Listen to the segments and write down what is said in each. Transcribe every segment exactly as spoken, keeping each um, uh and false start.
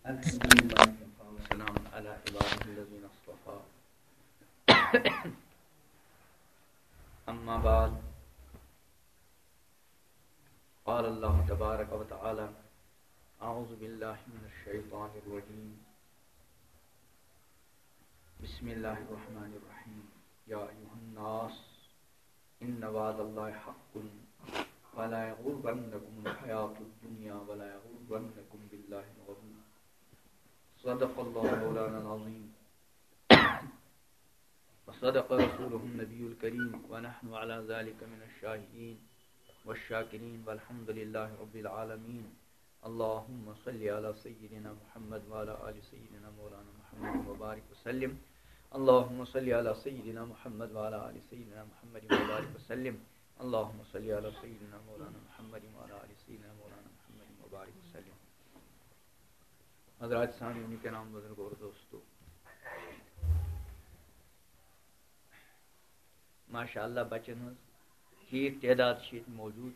الحمد لله وكفى وسلام على عباده الذين اصطفى. أما بعد، قال الله تبارك وتعالى: أعوذ بالله من الشيطان الرجيم. بسم الله الرحمن الرحيم. يا أيها الناس، إن وعد الله حق، فلا يغرنكم الحياة الدنيا ولا يغرنكم بالله الغرور. صدق الله مولانا العظيم، وصدق رسوله النبي الكريم، ونحن على ذلك من الشاهدين والشاكرين، والحمد لله رب العالمين. اللهم صل على سيدنا محمد وعلى آل سيدنا مولانا محمد وبارك وسلم. اللهم صل على سيدنا محمد وعلى آل سيدنا محمد وبارك وسلم. اللهم صل على سيدنا مولانا محمد وعلى آل سيدنا مولانا محمد وبارك وسلم. حضرات سامعین کرام، بزرگ اور دوستو، ماشاء اللہ، بچن ہٕنٛز ٹھیٖک تعداد چھِ ییٚتہِ موجود،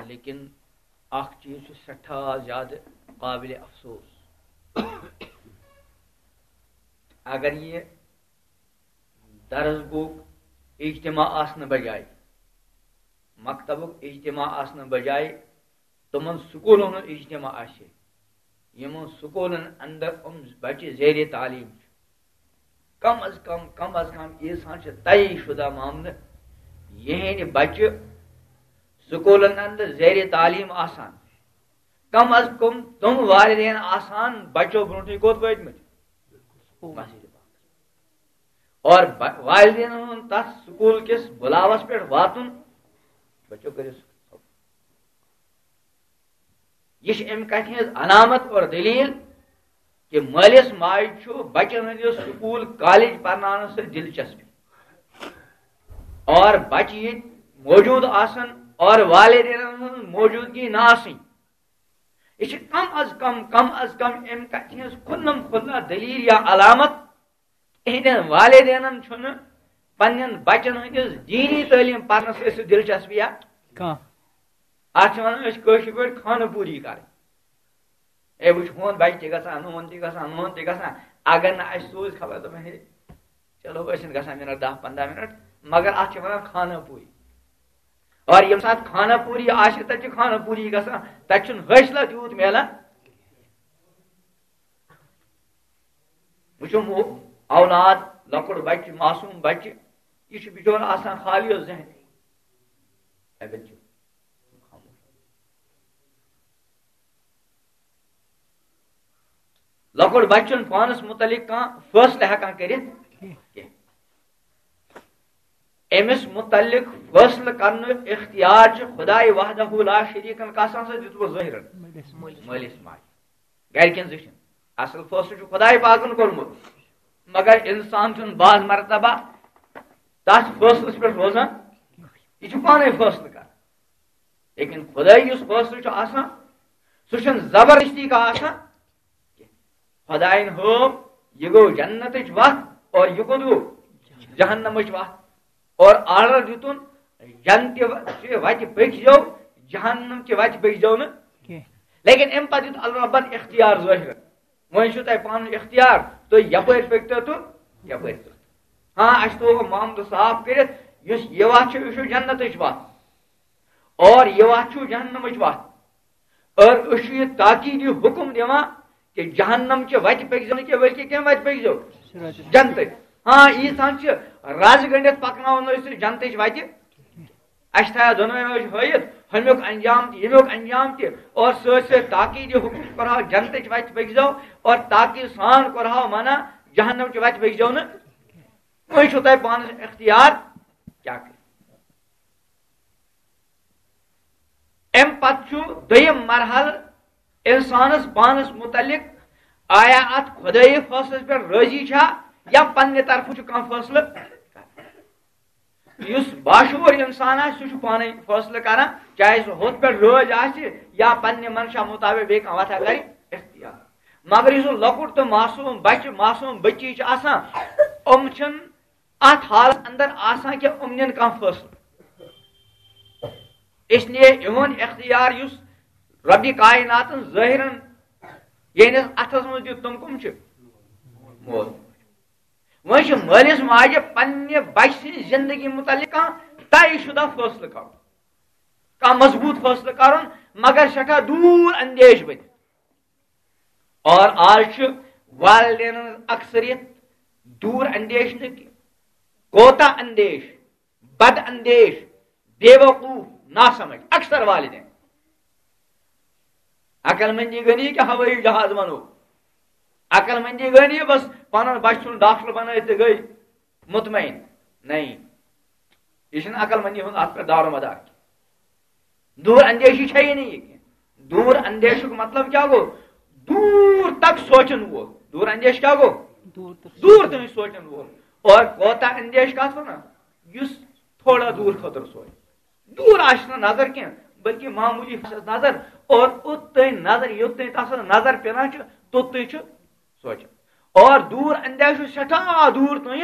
لیکن اکھ چیٖز چھُ سٮ۪ٹھاہ زیادٕ قابل افسوس۔ اگر یہِ درس گوٚو اجتماع آسنہٕ بجایہِ، مکتبُک اجتماع آسنہٕ بجایہِ تِمن سکوٗلن ہُنٛد اجتماع آسہِ، یِمن سکوٗلن اندر یِم بچہِ زیر تعلیٖم چھِ، کم از کم، کم از کم ییٖژہن چھِ طے شدہ معاملہٕ، یِہنٛدِ بچہِ سکوٗلن اندر زیر تعلیٖم آسان، کم از کم تِم والدین آسان بچو برونٛٹھٕے کوٚت وٲتمٕتۍ؟ مسجد پاکس۔ اور ب-، والدینن ہُنٛد تتھ سکوٗل کِس بُلاوس پٮ۪ٹھ واتُن، بچو کٔرِو سکوٗل۔ یہِ چھِ امہِ کتھِ ہٕنٛز علامت اور دلیل کہِ مٲلِس ماجہِ چھُ بچن ہٕنٛدِس سکوٗل کالج پرناونس سۭتۍ دلچسپی، اور بچہِ ییٚتہِ موجود آسن اور والدینن ہٕنٛز موجودگی نہٕ آسٕنۍ۔ یہِ چھِ کم از کم، کم از کم امہِ کتھِ ہٕنٛز کھُلم کھُلا دلیل یا علامت۔ یِہنٛدٮ۪ن والدینن چھُنہٕ پننٮ۪ن بچن ہٕنٛدِس دیٖنی تعلیٖم پرنس سۭتۍ سُہ دلچسپی یا کانٛہہ۔ اتھ چھِ ونان أسۍ کٲشِر پٲٹھۍ خانہٕ پوٗری کرٕنۍ۔ اے، وٕچھ، ہُہُنٛد بچہِ تہِ گژھان، ہُہُنٛد تہِ گژھان، ہُہُنٛد تہِ گژھان۔ اگر نہٕ اسہِ سوٗز خبر، دپان، ہے، چلو، أسۍ چھِنہٕ گژھان مِنٹ دَہ پنٛداہ مِنٹ، مگر اتھ چھِ ونان خانہ پوٗری۔ اور ییٚمہِ ساتہٕ خانہ پوٗری آسہِ، تتہِ چھِ خانہ پوٗری گژھان، تتہِ چھُنہٕ حٲصلہ تیوٗت میلان۔ وٕچھو، مو-، اولاد، لۄکُٹ بچہِ، معصوم بچہِ، یہِ چھُ بِچور آسان خالی ذہن۔ اے بچہِ، لۄکُٹ بچہِ چھُنہٕ پانس متعلق کانٛہہ فٲصلہٕ ہٮ۪کان کٔرِتھ کینٛہہ۔ أمِس متعلق فٲصلہٕ کرنُک اختیار چھُ خداے وحدہ لا شریٖکن کسان سۭتۍ دیُتمُت ظٲہِرن۔ مٲلِس ماجہِ۔ گرِکٮ۪ن زِٹھٮ۪ن۔ اصل فٲصلہٕ چھُ خداے پاکن کوٚرمُت، مگر انسان چھُنہٕ بعض مرتبہ تتھ فٲصلس پٮ۪ٹھ روزان، یہِ چھُ پانے فٲصلہٕ کران۔ لیکن خداے یُس فٲصلہٕ چھُ آسان، سُہ چھُنہٕ زبردستی کانٛہہ آسان۔ خداین ہٲو، یہِ گوٚو جنتٕچ وتھ اور یہِ کوٚت گوٚو؟ جہنمٕچ وتھ۔ اور آرڈر دیُتُن، جنتہِ و-، چہِ وتہِ پٔکۍ زیو، جہنم چہِ وتہِ پٔکۍ زیو نہٕ۔ کینٛہہ۔ لیکن امہِ پتہٕ دیُت اللہ ربن اختیار ظٲہِر۔ وۄنۍ چھُو تۄہہِ پنُن اختیار، تُہۍ یپٲرۍ پٔکۍتو تہٕ یپٲرۍ پٔکۍتو۔ ہاں، اَسہِ تھوٚو محمد صاف کٔرِتھ، یُس یہِ وَتھ چھُ، یہِ چھُ جنتٕچ وَتھ، اور یہِ وَتھ چھُ جہنمٕچ وَتھ۔ اور أسۍ چھُ یہِ تاکیٖدی حُکُم دِوان کہِ جہنم چہِ وَتہِ پٔکۍزیو نہٕ کینٛہہ، بلکہِ کَمہِ وَتہِ پٔکۍزیو؟ صراط۔ جنتٕچ۔ ہاں، ییٖژہن چھِ رَز گٔنٛڈِتھ پَکناوان أسۍ سُہ جنتٕچ وَتہِ۔ اَسہِ تھایو دۄنوَے وجہ ہٲیِتھ، ہُمیُک انجام تہِ، ییٚمیُک انجام تہِ، اور سۭتۍ سۭتۍ تاکیٖدِ حُکُم کوٚرہاو جنتٕچ وَتہِ پٔکۍزیو، اور تاکیٖد سان کوٚرہاو منع، جہنم چہِ وَتہِ پٔکۍزیو نہٕ۔ وۄنۍ چھُو تۄہہِ پانَس اختیار کیٛاہ کٔرِتھ۔ اَمہِ پَتہٕ چھُ دوٚیِم مرحلہٕ اِنسانَس پانَس مُتعلِق، آیا اَتھ خۄدٲیی فٲصلَس پٮ۪ٹھ رٲضی چھا یا پنٛنہِ طرفہٕ چھُ کانٛہہ فٲصلہٕ؟ یُس باشعوٗر اِنسان آسہِ، سُہ چھُ پانَے فٲصلہٕ کران، چاہے سُہ ہُتھ پٮ۪ٹھ رٲضۍ آسہِ یا پننہِ منشا مُطابِق بیٚیہِ کانٛہہ وَتھا کرِ اختیار۔ مگر یُس سُہ لۄکُٹ تہٕ معصوٗم بچہِ، معصوٗم بچی چھِ آسان، یِم چھِنہٕ اَتھ حالس اندر آسان کہِ یِم نِن کانٛہہ فٲصلہٕ۔ اس لیے یِہُنٛد اختیار یُس رۄبِ کائناتن ظٲہِرن ییٚہنٛدِس اَتھس منٛز دیُت، تِم کٕم چھِ؟ مول۔ وۄنۍ چھِ مٲلِس ماجہِ پننہِ بچہِ سٕنٛزِ زندگی متعلق کانٛہہ طے شدہ فٲصلہٕ کرُن، کانٛہہ مضبوط فٲصلہٕ کرُن، مگر سٮ۪ٹھاہ دوٗر اندیش بٔنِتھ۔ اور آز چھُ والدینن ہٕنٛز اکثریت دوٗر اندیش نہٕ کینٛہہ، کوتاہ اندیش، بد اندیش، بے وقوف، ناسمجھ، اکثر والدین۔ عقل مندی گٔے نہٕ یہِ کہِ ہوٲیی جہاز بنو، عقل مندی گٔے نہٕ یہِ بس پنُن بچہٕ ژھُن ڈاکٹر بنٲوِتھ تہٕ گٔے مطمئن۔ نہیں، یہِ چھُنہٕ عقل مندی ہُنٛد اتھ پٮ۪ٹھ دارومدار کینٛہہ۔ دوٗر اندیشی چھےٚ یہِ نہٕ یہِ کینٛہہ۔ دوٗر اندیشُک مطلب کیٛاہ گوٚو؟ دوٗر تک سونٛچن وول۔ دوٗر اندیش کیٛاہ گوٚو؟ دوٗر تک دوٗر تام سونٛچن وول۔ اور کوتاہ اندیش کتھ ونان؟ یُس تھوڑا دوٗر خٲطرٕ سونٛچہِ۔ دوٗر آسہِ نہٕ نظر کینٛہہ، بلکہِ معموٗلی آسٮ۪س نظر۔ اور اوٚت تام نظر، یوٚت تام تس نظر پٮ۪وان چھِ، توٚت تام چھُ سونٛچان۔ اور دوٗر اندیش چھُ سٮ۪ٹھاہ دوٗر تام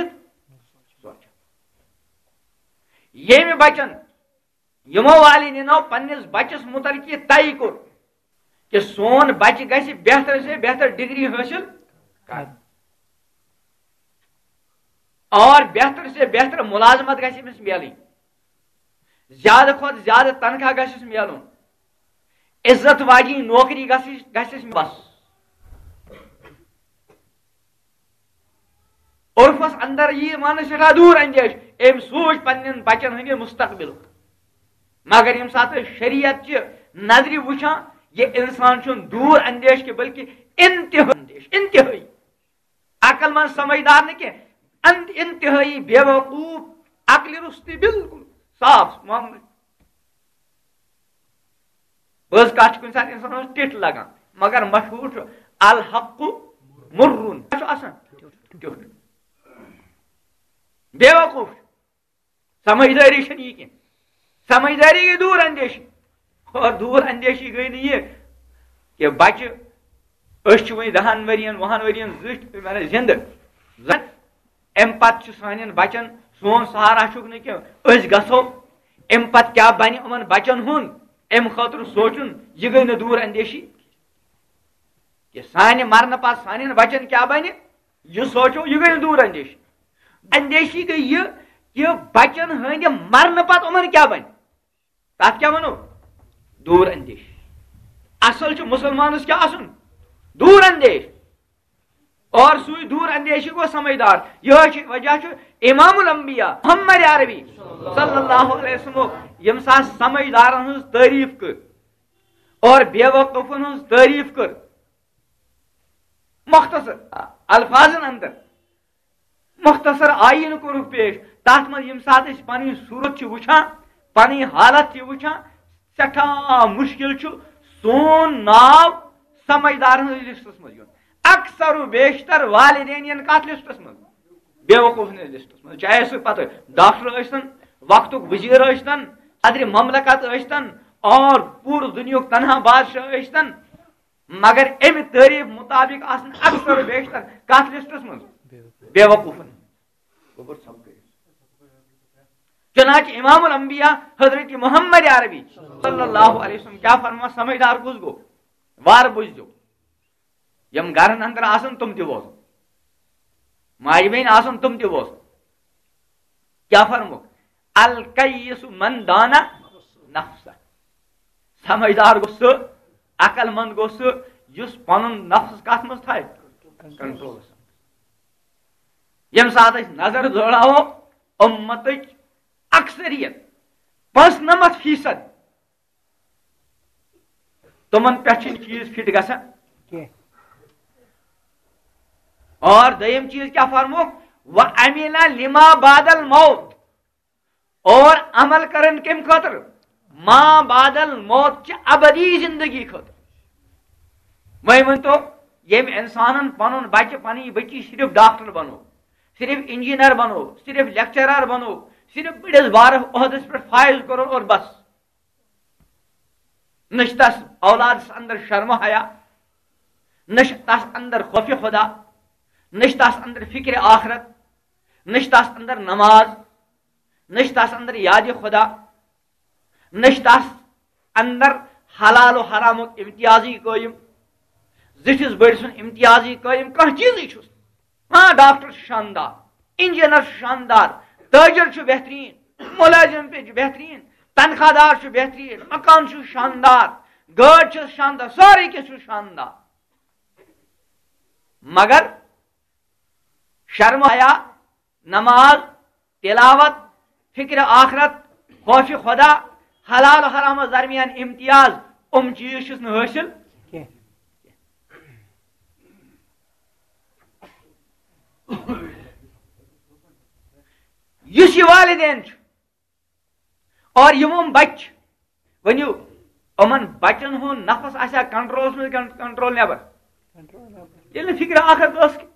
سونٛچان۔ ییٚمہِ بچن یِمو والدینو پننِس بچس متعلق یہِ طے کوٚر کہِ سون بچہِ گژھِ بہتر سے بہتر ڈگری حٲصِل کرٕنۍ اور بہتر سے بہتر ملازمت گژھِ أمِس میلٕنۍ، زیادٕ کھۄتہٕ زیادٕ تنخواہ گژھٮ۪س میلُن، عزت واجیٚنۍ نوکری گژھِ گژھٮ۪س، بس۔ عرفس اندر یی مانہٕ سٮ۪ٹھاہ دوٗر اندیش، أمۍ سوٗنچ پننٮ۪ن بچن ہٕنٛدِ مستقبلُک۔ مگر ییٚمہِ ساتہٕ أسۍ شریعت چہِ نظرِ وٕچھان، یہِ انسان چھُنہٕ دوٗر اندیش کہِ بلکہِ انتہٲیی اندیش، انتہٲیی۔ عقل مند سمجھدار نہٕ کینٛہہ، انت-، انتہٲیی بے وقوف، عقلہِ روٚستُے، بالکل صاف معاملہٕ۔ پٔز کتھ چھِ کُنہِ ساتہٕ انسانس ٹِٹھ لگان، مگر مشہوٗر چھُ الحق مرُّن۔ کیٛاہ چھُ آسان؟ ٹیوٚٹھ۔ بے وقوف چھُ۔ سمجھدٲری چھَنہٕ یہِ کینٛہہ۔ سمجھدٲری گٔے دوٗر اندیشی۔ اور دوٗر اندیشی گٔے نہٕ یہِ کہِ بچہِ، أسۍ چھِ وۄنۍ دَہَن ؤرِین، وُہَن ؤرِین زِٹھۍ، معنی زِندٕ۔ زَن اَمہِ پتہٕ چھُ سانٮ۪ن بچن سون سہارا چھُکھ نہٕ کینٛہہ۔ أسۍ گژھو، اَمہِ پتہٕ کیٛاہ بنہِ یِمن بچن ہُنٛد، اَمہِ خٲطرٕ سونٛچُن، یہِ گٔے نہٕ دوٗر اندیشی کہِ سانہِ مرنہٕ پتہٕ سانٮ۪ن بچن کیٛاہ بنہِ؟ یہِ سونٛچو، یہِ گٔے نہٕ دوٗر اندیشی۔ اندیشی گٔے یہِ کہِ بچن ہٕنٛدِ مرنہٕ پتہٕ یِمن کیٛاہ بنہِ؟ تتھ کیٛاہ ونو؟ دوٗر اندیش۔ اصل چھُ مسلمانس کیٛاہ آسُن؟ دوٗر اندیش۔ اور سُے دوٗر اندیشی گوٚو سمجھدار۔ یِہوٚے چھُ وجہ چھُ امام الانبیاء محمد عربی صلی اللہ علیہ وسلم ییٚمہِ ساتہٕ سمجھدارن ہٕنٛز تعریف کٔر اور بے وقوفن ہٕنٛز تعریف کٔر مختصر الفاظن اندر، مختصر آیین کوٚرُکھ پیش۔ تتھ منٛز ییٚمہِ ساتہٕ أسۍ پنٕنۍ صوٗرت چھِ وٕچھان، پنٕنۍ حالت چھِ وٕچھان، سٮ۪ٹھاہ مُشکِل چھُ سون ناو سمجھدارن ہٕنٛدِس لسٹس منٛز یُن۔ اکثر و بیشتر والدین یِن کتھ لسٹس منٛز؟ بے وقوفن ہٕنٛدِس لسٹس منٛز۔ چاہے سُہ پتہٕ ڈاکٹر ٲسۍتن، وقتُک وزیر ٲسۍتن، صدر مملکت ٲسۍتن، اور پوٗرٕ دُنیاہُک تنہا بادشاہ ٲسۍتن، مگر امہِ تعریف مطابق آسن اکثر و بیشتر کتھ لسٹس منٛز؟ بے وقوفن۔ گوٚبُر سمکھٕے۔ چنانچہ امام الانبیاء حضرت محمد عربی صلی اللہ علیہ وسلم کیٛاہ فرمان؟ سمجھدار کُس گوٚو؟ وارٕ بوٗزِو۔ یِم گرن اندر آسن تِم تہِ بوزن، ماجہِ بیٚنہِ آسن تِم تہِ بوزن۔ کیٛاہ فرموو؟ الکیس من دان نفسہ۔ سمجھدار گوٚو سُہ، عقل مند گوٚو سُہ، یُس پنُن نفس کتھ منٛز تھایہِ؟ کنٹرولس منٛز۔ ییٚمہِ ساتہٕ أسۍ نظر دوڑاوو، امتٕکۍ اکثریت، پانٛژنمتھ فیصد، تِمن پٮ۪ٹھ چھِنہٕ چیٖز فٹ گژھان کینٛہہ۔ اور دوٚیِم چیٖز کیٛاہ فرموکھ؟ وَعَمِلَ لِمَا بَعْدَ الْمَوْتِ۔ اور عمل کرن کمہِ خٲطرٕ؟ ما بعد الموت چہِ ابدی زندگی خٲطرٕ۔ وۄنۍ ؤنۍ تو، ییٚمۍ انسانن پنُن بچہِ، پنٕنۍ بچی صرف ڈاکٹر بنو، صرف انجینئر بنو، صرف لیکچرر بنو، صرف بٔڑِس بارس عہدس پٮ۪ٹھ فائز کوٚرُن اور بس، نہ چھِ تس اولادس اندر شرم و حیا، نہ چھِ تس اندر خوف خدا، نہ چھِ تس اندر فکر آخرت، نہ چھِ تس اندر نماز، نہ چھِ تس اندر یاد خدا، نہ چھِ تس اندر حلال و حرامُک امتیازٕے قٲیِم، زِٹھِس بٔڑۍ سُنٛد امتیازٕے قٲیِم، کانٛہہ چیٖزٕے چھُس نہٕ۔ ہاں، ڈاکٹر چھُ شاندار، انجینئر چھُ شاندار، تاجر چھُ بہتریٖن، مُلٲزِم تہِ چھُ بہتریٖن، تنخواہ دار چھُ بہتریٖن، مکان چھُ شاندار، گٲڑۍ چھِ شاندار، سورُے کینٛہہ چھُ شاندار۔ مگر شرم حیا، نماز، تلاوت، فکر آخرت، خوف خدا، حلال و حرامس درمیان امتیاز، یِم چیٖز چھِس نہٕ حٲصِل کینٛہہ۔ یُس یہِ والدین چھُ، اور یِم یِم بچہِ، ؤنِو، یِمن بچن ہُنٛد نفس آسیا کنٹرولس منٛز کِنہٕ کنٹرول نٮ۪بر؟ ییٚلہِ نہٕ فکر آخرت ٲس کینٛہہ،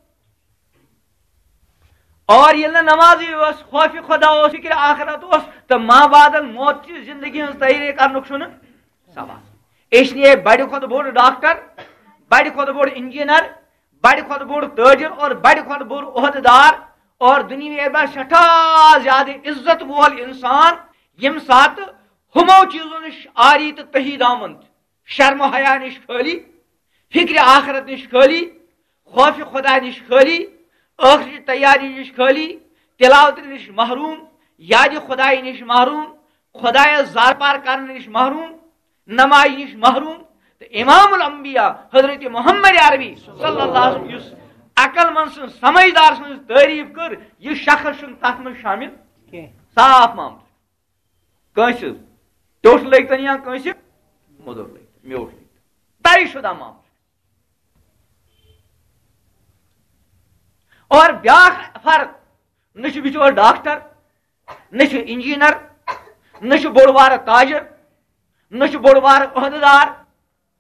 اور ییٚلہِ نہٕ نمازٕے ٲس، خوف خدا اوس، فکر آخرت اوس، تہٕ ما بعد الموت چہِ زندگی ہٕنٛز تیٲری کرنُک چھُنہٕ سوال۔ اس لیے بڑِ کھۄتہٕ بوٚڑ ڈاکٹر، بڑِ کھۄتہٕ بوٚڑ انجینئر، بڑِ کھۄتہٕ بوٚڑ تاجر اور بڑِ کھۄتہٕ بوٚڑ عہدٕ دار اور دُنیاہس منٛز سٮ۪ٹھاہ زیادٕ عزت وول انسان، ییٚمہِ ساتہٕ ہُمو چیٖزو نِش عاری تہٕ تحید آمُت، شرم و حیا نِش خٲلی، فکرِ آخرت نِش خٲلی، خوف خدا نِش خٲلی، ٲخرٕچ تیاری نِش خٲلی، تلاوت نِش محروم، یاد خدائی نِش محروم، خدایس زار پار کرنہٕ نِش محروم، نمازِ نِش محروم۔ تہٕ امام الانبیاء حضرت محمد عربی صلی اللہ علیہ وسلم، یُس عقل مند سٕنٛز، سمجھدار سٕنٛز تعریف کٔر، یہِ شخص چھُنہٕ تتھ منٛز شامل کینٛہہ۔ صاف معاملہٕ۔ کٲنٛسہِ ٹوٚٹھ لٔگۍ تن یا کٲنٛسہِ موٚدُر لٔگۍ تن، میوٗٹھ لٔگۍ تن، طے شدہ معاملہٕ۔ اور بیاکھ فرق، نہ چھُ بِچور ڈاکٹر، نہ چھُ انجینئر، نہ چھُ بوٚڑ بارٕ تاجر، نہ چھُ بوٚڑ بارٕ عہدٕ دار۔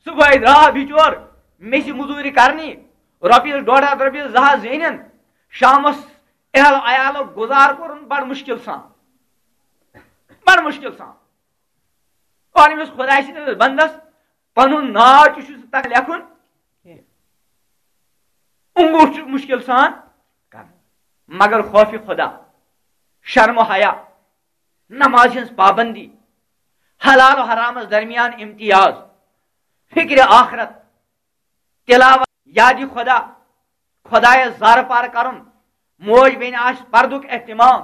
صبحٲے درٛاو بِچور، مےٚ چھِ مٔزوٗرِ کرنی، رۄپیَس ڈۄڈ ہَتھ، رۄپیَس زٕ ہَتھ زینن، شامس اہل عیالُک گُزار کوٚرُن بڑٕ مُشکل سان، بڑٕ مُشکل سان۔ اور أمِس خۄداے سٕنٛدِس بندس پنُن ناو تہِ چھُس نہٕ تگان لیکھُن، انگوٗٹھ چھُ مُشکل سان کران۔ مگر خوفِ خدا، شرم و حیا، نماز ہٕنٛز پابندی، حلال و حرامس درمیان امتیاز، فکرِ آخرت، تلاوت، یادِ خدا، خدایس زارٕ پار کرُن، موج بیٚنہِ آسہِ پردُک اہتمام۔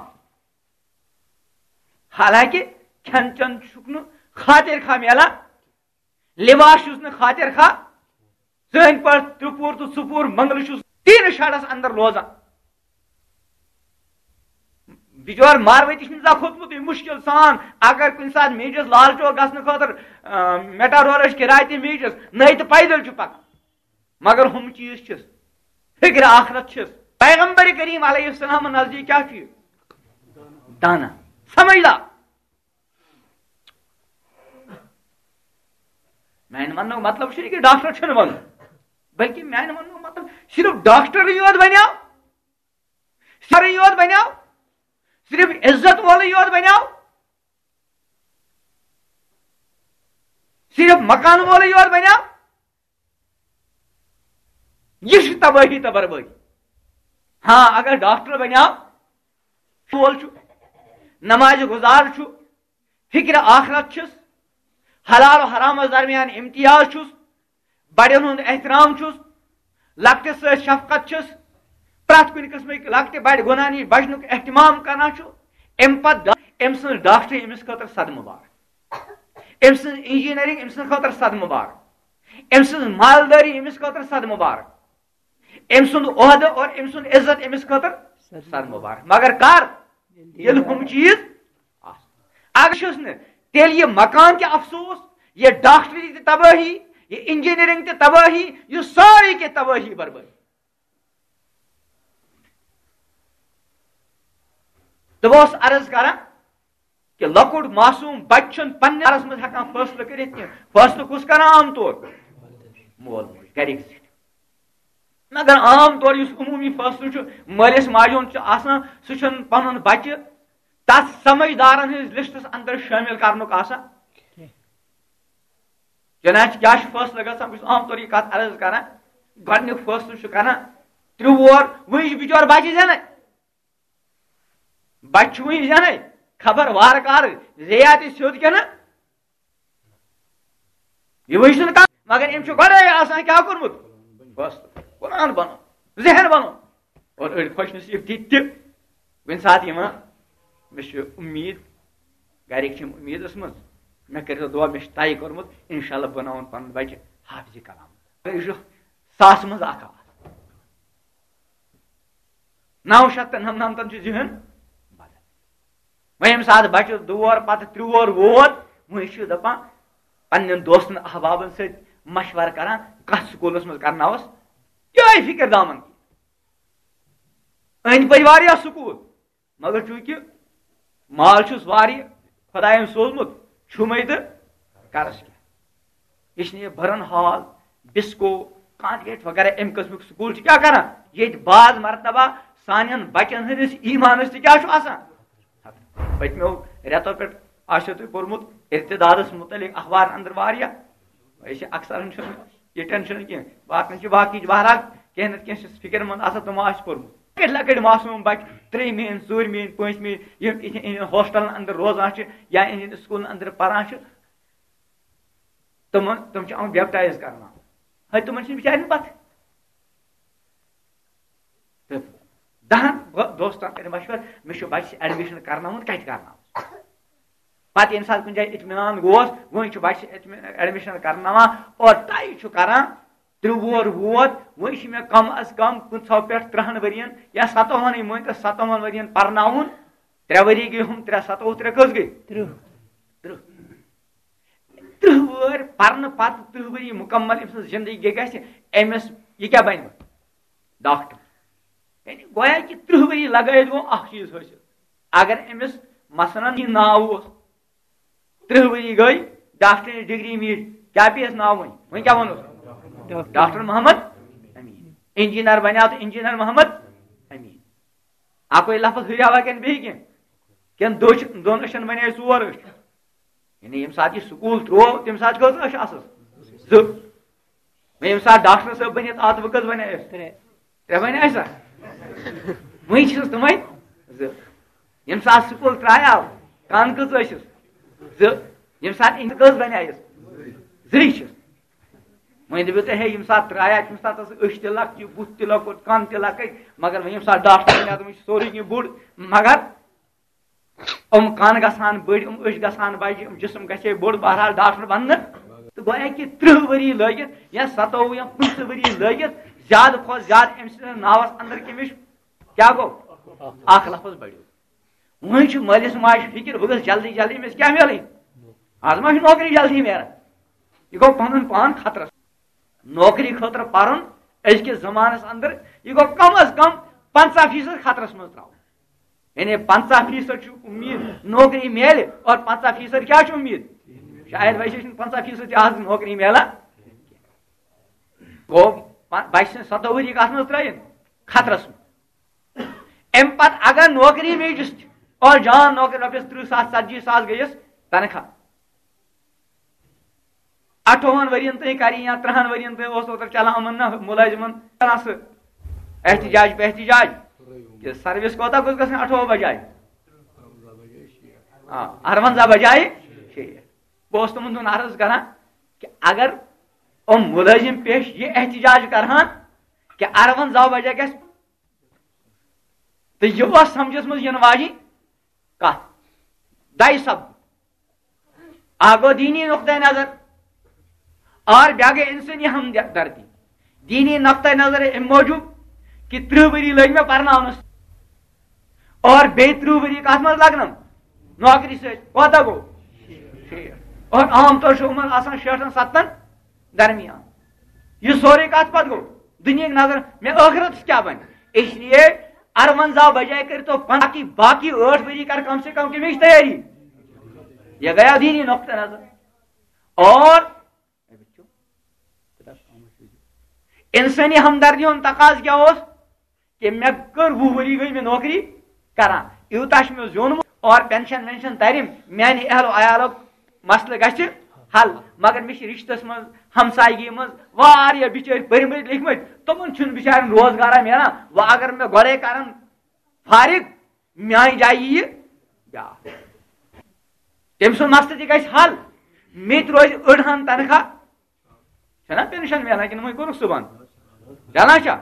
حالانکہ کھٮ۪ن چٮ۪ن چھُکھ نہٕ خاطر خواہ میلان، لباس چھُس نہٕ خاطر خواہ۔ سٲنۍ پٲٹھۍ ترٛپوٗر تہٕ ژُپوٗر منٛگلہٕ چھُس تیٖنہٕ شڈس اندر روزان۔ بِچور ماروٲتی چھُنہٕ زانٛہہ کھوٚتمُتٕے، مُشکِل سان۔ اگر کُنہِ ساتہٕ میٖجس لال چوک گژھنہٕ خٲطرٕ، آ، میٹاڈورٕچ کِراے تہِ میٖجس، نَے تہٕ پیدل چھُ پکان۔ مگر ہُم چیٖز چھِس، فِکرِ آخرت چھِس۔ پیغمبر کریم علیہ السلام نزدیٖک کیٛاہ چھُ یہِ؟ دانا، سمجھدار۔ میانہِ وننُک مطلب چھُنہٕ کہِ ڈاکٹر چھُنہٕ بنُن، بلکہِ میانہِ وننُک مطلب صرف ڈاکٹرٕے یوت بنیو، سرٕے یوت بنیو، صرف عزت وولٕے یوت بنیو، صرف مکان وولٕے یوت بنیو۔ یہِ چھِ تبٲہی تہٕ بربٲدی۔ ہاں، اگر ڈاکٹر بنیو، وول چھُ، نماز گزار چھُ، فکر آخرت چھُس، حلال و حرامس درمیان امتیاز چھُس، بڑٮ۪ن ہُنٛد احترام چھُس، لۄکٹِس سۭتۍ شفقت چھُس، پرٛٮ۪تھ کُنہِ قٕسمٕکۍ لۄکٹہِ بڑِ گۄناہ نِش بچنُک اہتمام کران چھُ، امہِ پتہٕ ڈا-، أمۍ سٕنٛز ڈاکٹری أمِس خٲطرٕ صدمہٕ بار، أمۍ سٕنٛز انجینئرنگ أمۍ سٕنٛدِ خٲطرٕ صدمہٕ بار، أمۍ سٕنٛز مالدٲری أمِس خٲطرٕ صدمہٕ بار، أمۍ سُنٛد عہدٕ اور أمۍ سُنٛد عزت أمِس خٲطرٕ صدمہٕ بار۔ مگر کر؟ ییٚلہِ ہُم چیٖز آسن۔ اگر چھُس نہٕ، تیٚلہِ یہِ مکان تہِ افسوس، یہِ ڈاکٹری تہِ تبٲہی، یہِ انجینئرنگ تہِ تبٲہی، یہِ سٲرٕے کینٛہہ تبٲہی بربٲدی۔ تہٕ بہٕ اوسُس عرض کران کہِ لۄکُٹ معصوم بچہٕ چھُنہٕ پننِس بارس منٛز ہٮ۪کان فٲصلہٕ کٔرِتھ کینٛہہ۔ فٲصلہٕ کُس کران عام طور؟ مول موج، گرِکۍ زِٹھۍ۔ مگر عام طور یُس عموٗمی فٲصلہٕ چھُ مٲلِس ماجہِ ہُنٛد چھُ آسان، سُہ چھُنہٕ پنُن بچہٕ تتھ سمجھدارن ہٕنٛدِس لسٹس اندر شٲمِل کرنُک آسان۔ چنانچہ کیٛاہ چھُ فٲصلہٕ گژھان؟ بہٕ چھُس عام طور یہِ کتھ عرض کران، گۄڈٕنیُک فٲصلہٕ چھُ کران ترٛےٚ وُہُر، وُنہِ چھُ بِچور بچہِ زٮ۪نَے۔ بچہِ چھُ وُنہِ زٮ۪نَے، خبر وارٕ کارٕ زیٚیہِ تہِ سیوٚد کِنہٕ۔ یہِ وٕچھ نہٕ کانٛہہ، مگر أمۍ چھُ گۄڈَے آسان کیٛاہ کوٚرمُت؟ بس، قرآن بنو، ذہن بنو۔ اور أڑۍ خۄش نصیٖب تِتھۍ تہِ، کُنہِ ساتہٕ یِوان، مےٚ چھِ اُمید، گرِکۍ چھِ اُمیدَس منٛز، مےٚ کٔرۍزیو دُعا، مےٚ چھُ طے کوٚرمُت، اِنشاءاللہ بناوُن پَنُن بَچہِ حافظِ کلام۔ یہِ چھُ ساسہٕ منٛز اَکھ آواز۔ نَو شیٚتھ تہٕ نَمنَمتَن چھُ ذہن بدل۔ وۄنۍ ییٚمہِ ساتہٕ بَچَس دور پَتہٕ ترٛوہَر ووت، وۄنۍ چھُ دَپان پنٛنٮ۪ن دوستَن احبابَن سۭتۍ مَشوَرٕ کَران، کَتھ سکوٗلَس منٛز کَرناوَس۔ یِہوٚے فِکِر دامَن۔ أنٛدۍ پٔکۍ واریاہ سکوٗل، مگر چوٗنٛکہِ مال چھُس واریاہ خۄدایَن سوٗزمُت، چھُمَے تہٕ کَرَس کیٛاہ؟ اس لیے برن ہال، بسکو، کانڈگیٹ وغیرہ اَمہِ قٕسمُک سکوٗل چھِ کیٛاہ کران؟ ییٚتہِ بعض مرتبہ سانٮ۪ن بچن ہٕنٛدِس ایٖمانس تہِ کیٛاہ چھُ آسان؟ پٔتمیو رٮ۪تو پٮ۪ٹھ آسیو تۄہہِ پوٚرمُت ارتدادس مُتعلق اخبارن اندر واریاہ۔ أسۍ چھِ اکثر چھُنہٕ یہِ ٹینشن کینٛہہ، باقین چھِ باقٕے، بہرحال کینٛہہ نتہٕ کینٛہہ چھِ فکر مند آسان، تِمو آسہِ پوٚرمُت۔ لۄکٕٹۍ لۄکٕٹۍ معصوم بچہِ، ترٛیٚیِمہِ ہٕنٛدۍ، ژوٗرمہِ ہٕنٛدۍ، پٲنٛژمہِ، یِم یِہنٛدٮ۪ن ہاسٹلن اندر روزان چھِ یا یِہنٛدٮ۪ن سکوٗلن اندر پران چھِ، تِمن، تِم چھِ یِوان بیپٹایز کرناونہٕ۔ ہے، تِمن چھِنہٕ بِچارٮ۪ن پتہ۔ تہٕ دَہَن بہٕ دوستن کَرِ مَشوَرٕ، مےٚ چھُ بَچَس ایڈمِشن کرناوُن، کَتہِ کرناوُن؟ پتہٕ ییٚمہِ ساتہٕ کُنہِ جایہِ اطمینان گوس، وۄنۍ چھُ بَچَس ایڈمِشن کرناوان اور طے چھُ کران، ترٛےٚ وُہُر ووت، وۄنۍ چھُ مےٚ کم از کم پٕنٛژٕہو پٮ۪ٹھ تٕرٛہَن ؤرین یا سَتووُہَنٕے مٲنۍ تو سَتووُہَن ؤرین پرناوُن۔ ترٛےٚ ؤری گٔے ہُم ترٛےٚ، سَتووُہ ترٛےٚ کٔژ گٔے؟ تٕرٛہ۔ تٕرٛہ۔ تٕرٛہ وُہٕرۍ پرنہٕ پتہٕ، تٕرٛہ ؤری مُکمل أمۍ سٕنٛز زندگی گژھِ، أمِس یہِ کیٛاہ بنہِ؟ ڈاکٹر۔ یعنی گویا کہِ تٕرٛہ ؤری لگٲیِتھ گوٚو اکھ چیٖز حٲصِل۔ اگر أمِس مثلاً یہِ ناو اوس، تٕرٛہ ؤری گٔے، ڈاکٹرٕچ ڈگری میٖج، کیٛاہ پیٚیَس ناو وۄنۍ؟ وۄنۍ کیٛاہ وَنوس؟ Doctor. Doctor Mohammad Amin. Engineer بنیٛاو تہٕ انجینئر محمد امین۔ اَکُے لفظ ہُریاوا کِنہٕ بیٚیہِ کینٛہہ؟ کِنہٕ دۄچھ-، دۄن أچھن بنے ژور أچھ؟ یعنی ییٚمہِ ساتہٕ یہِ سکوٗل ترٛوو، تَمہِ ساتہٕ کٔژ أچھ آسس؟ زٕ۔ وۄنۍ ییٚمہِ ساتہٕ ڈاکٹر صٲب بٔنِتھ آو، تہٕ وۄنۍ کٔژ بنے اَسہِ؟ ترٛےٚ۔ ترٛےٚ بنے اَسہِ سا؟ وۄنۍ چھِس تِمے زٕ۔ ییٚمہِ ساتہٕ سکوٗل ترٛایاو، کَن کٔژ ٲسِس؟ زٕ۔ ییٚمہِ ساتہٕ اِنٛدِ کٔژ بنے اَسہِ؟ زٕے چھِس۔ وۄنۍ دٔپِو تُہۍ، ہے، ییٚمہِ ساتہٕ ترٛایاو، تَمہِ ساتہٕ ٲس أچھ تہِ لۄکچہِ، بُتھ تہِ لۄکُٹ، کَن تہِ لۄکٕٹۍ، مگر وۄنۍ ییٚمہِ ساتہٕ ڈاکٹر بنے، تِم چھِ سورُے کینٛہہ بوٚڑ۔ مگر یِم کَن گژھان بٔڑۍ، یِم أچھ گژھان بَجہِ، یِم جسم گژھِ ہے بوٚڑ، بہرحال ڈاکٹر بننہٕ۔ تہٕ گویا کہِ تٕرٛہ ؤری لٲگِتھ یا سَتووُہ یا پٕنٛژٕہ ؤری لٲگِتھ، زیادٕ کھۄتہٕ زیادٕ أمۍ سٕنٛدِس ناوَس اندر کٔمِس کیٛاہ گوٚو؟ اکھ لفظ بڑیو۔ وۄنۍ چھُ مٲلِس ماجہِ فِکر، بہٕ گژھٕ جلدی جلدی أمِس کیٛاہ میلٕنۍ؟ آز ما چھِ نوکری جلدی میلان؟ یہِ گوٚو پنُن پان خطرس۔ نوکری خٲطرٕ پرُن أزکِس زمانس اندر، یہِ گوٚو کم از کم پنٛژاہ فیصد خطرس منٛز ترٛاوُن۔ یعنی پنٛژاہ فیصد چھُ امید نوکری میلہِ اور پنٛژاہ فیصد کیٛاہ چھُ امید؟ شاید ویسے چھُنہٕ پنٛژاہ فیصد تہِ آز نوکری میلان۔ گوٚو پ-، بچہِ سٕنٛز سَتووُہ ؤری کتھ منٛز ترٛٲیِن؟ خطرس منٛز۔ امہِ پتہٕ اگر نوکری میجس تہِ، اور جان نوکری، رۄپیس تٕرٛہ ساس، ژتجی ساس گٔیس تنخواہ۔ اَٹھووُہن ؤرین تام کَرِ یا تٕرٛہن ؤرین تام اوس اوترٕ چلان یِمن نا مُلٲزِمن کران سُہ احتجاج پہ احتجاج، کہِ سروس کوتاہ گوٚژھ گژھٕنۍ اَٹھووُہ بجایہِ؟ آ، اَرونزاہ بجایہِ شیٹھ۔ بہٕ اوسُس تِمن دۄہن عرض کران کہِ اگر یِم مُلٲزِم پیش یہِ احتجاج کرہن کہِ اَرونزاہ بجے گژھِ، تہٕ یہِ اوس سمجھس منٛز یِنہٕ واجِنۍ کتھ۔ دَے سب اکھ گوٚو دیٖنی نقطہ نظر، اور بیٛاکھ گٔے انسٲنی ہمدردی۔ دیٖنی نقطہ نظر امہِ موٗجوٗب کہِ تٕرٛہ ؤری لٔگۍ مےٚ پرناونس، اور بیٚیہِ تٕرٛہ ؤری کتھ منٛز لگنم؟ نوکری سۭتۍ۔ کوتاہ گوٚو؟ شیٹھ۔ اور عام طور چھُ یِمن آسان شیٹھن ستتن درمیان۔ یہِ سورُے کتھ پتہٕ گوٚو؟ دُنیہٕکۍ نظر، مےٚ ٲخرتس کیٛاہ بنہِ؟ اس لیے اَرونزاہ بجائے کٔرۍ تو پنٛژاہ، باقی، باقی ٲٹھ ؤری کر کم سے کم کمِچ تیٲری۔ یہ گیا دیٖنی نقطہ نظر۔ اور انسٲنی ہمدردی ہُنٛد تقاضہٕ کیٛاہ اوس؟ کہ مےٚ کٔر وُہ ؤری گٔے مےٚ نوکری کران، یوٗتاہ چھُ مےٚ زیوٗنمُت اور پینشن وینشن ترِ، میانہِ اہل و عیالُک مسلہٕ گژھِ حل۔ مگر مےٚ چھِ رشتس منٛز، ہمسایگی منٛز واریاہ بِچٲرۍ پٔرمٕتۍ لیکھمٕتۍ، تِمن چھُنہٕ بِچارٮ۪ن روزگارا میلان۔ وۄنۍ اگر مےٚ گۄڈے کرن فارغ، میانہِ جایہِ یِیہِ بیٛاکھ۔ تٔمۍ سُنٛد مسلہٕ تہِ گژھِ حل، مےٚ تہِ روزِ أڑہن تنخواہ۔ چھنا پینشن میلان کِنہٕ وۄنۍ کوٚرُکھ سُہ بنٛد؟ چلان چھا؟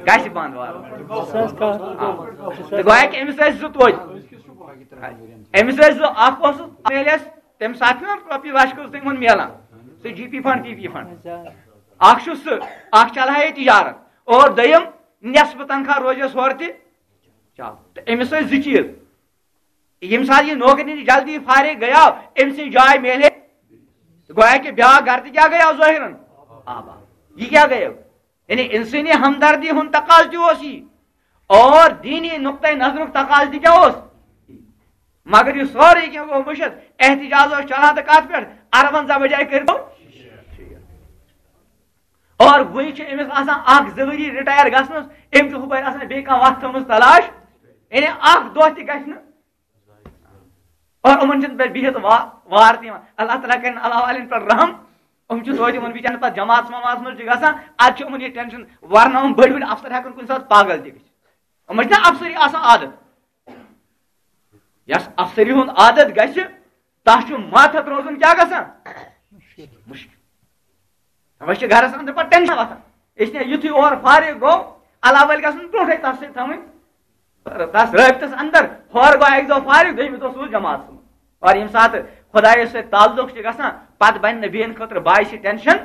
گژھِ بنٛد وارٕ وارٕ۔ سُہ حظ کَتھ؟ آ۔ تہٕ گویا کہِ أمِس ٲسۍ زٕ توتہِ۔ أمِس ٲسۍ زٕ، اکھ اوس میلہِ اَسہِ تَمہِ ساتہٕ چھُنہ رۄپیہِ لَچھ کٔژ تِمن میلان، سُہ G P fund, P P fund. اچھا۔ اکھ چھُ سُہ، اکھ چلہٕ ہا یہِ تجارت، اور دوٚیِم نٮ۪صفہٕ تنخواہ روزٮ۪س ہورٕ تہِ۔ چلو، تہٕ أمِس ٲسۍ زٕ چیٖز۔ ییٚمہِ ساتہٕ یہِ نوکری نِش جلدی فارغ گٔیاو، أمۍ سٕنٛز جاے میلہِ ہے۔ گویا کہِ بیٛاکھ گرٕ تہِ کیٛاہ گٔیاو ظٲہِرن؟ آباد۔ یہِ کیٛاہ گٔیو؟ یعنی انسٲنی ہمدردی ہُنٛد تقاضہٕ تہِ اوس یی، اور دینی نقطۂ نظرُک تقاضہٕ تہِ کیٛاہ اوس؟ مگر یہِ سورُے کینٛہہ گوٚو مٔشِتھ۔ احتجاج اوس چلان تہٕ کتھ پٮ۪ٹھ؟ ارونزاہ بجایہِ کٔرۍتو۔ اور وٕنہِ چھِ أمِس آسان اکھ زٕ ؤری رِٹایَر گژھنَس، أمۍ چھِ ہُپٲرۍ آسان بیٚیہِ کانٛہہ وَتھ تھٲومٕژ تلاش، یعنی اکھ دۄہ تہِ گژھِ نہٕ۔ اور یِمَن چھِنہٕ پٮ۪ٹھ بِہِتھ وا-، وار تہِ یِوان۔ اللہ تعالیٰ کَرِ نہٕ علاوٕ والٮ۪ن پٮ۪ٹھ رحم، یِم چھِ توتہِ یِمَن بِچارٮ۪ن پَتہٕ جماعت وماعتَس منٛز چھِ گژھان، اَدٕ چھِ یِمَن یہِ ٹینشن، ورنہ یِم بٔڑۍ بٔڑۍ افسر ہٮ۪کَن کُنہِ ساتہٕ پاگل تہِ گٔژھِتھ۔ یِمَن چھِنہ افسری آسان عادت، یَس افسری ہُنٛد عادت گژھِ، تَس چھُ ماتحت روزُن کیٛاہ گژھان؟ مُشکِل۔ تَوَے چھِ گَرَس اَنٛدر پَتہٕ ٹینشن وۄتھان۔ اس لیے یُتھُے اورٕ فارغ گوٚو، علاوٕ وٲلۍ گژھن برونٛٹھٕے تَس سۭتۍ تھاوٕنۍ، تَس رٲبطَس اَنٛدر۔ ہورٕ گوٚو اَکہِ دۄہ فارغ، دوٚیمہِ دۄہ سوٗز جماعتَس منٛز۔ اور ییٚمہِ ساتہٕ خۄدایَس سۭتۍ تعلق چھِ گژھان، پَتہٕ بَنہِ نہٕ بیٚیَن خٲطرٕ باعث ٹینشن،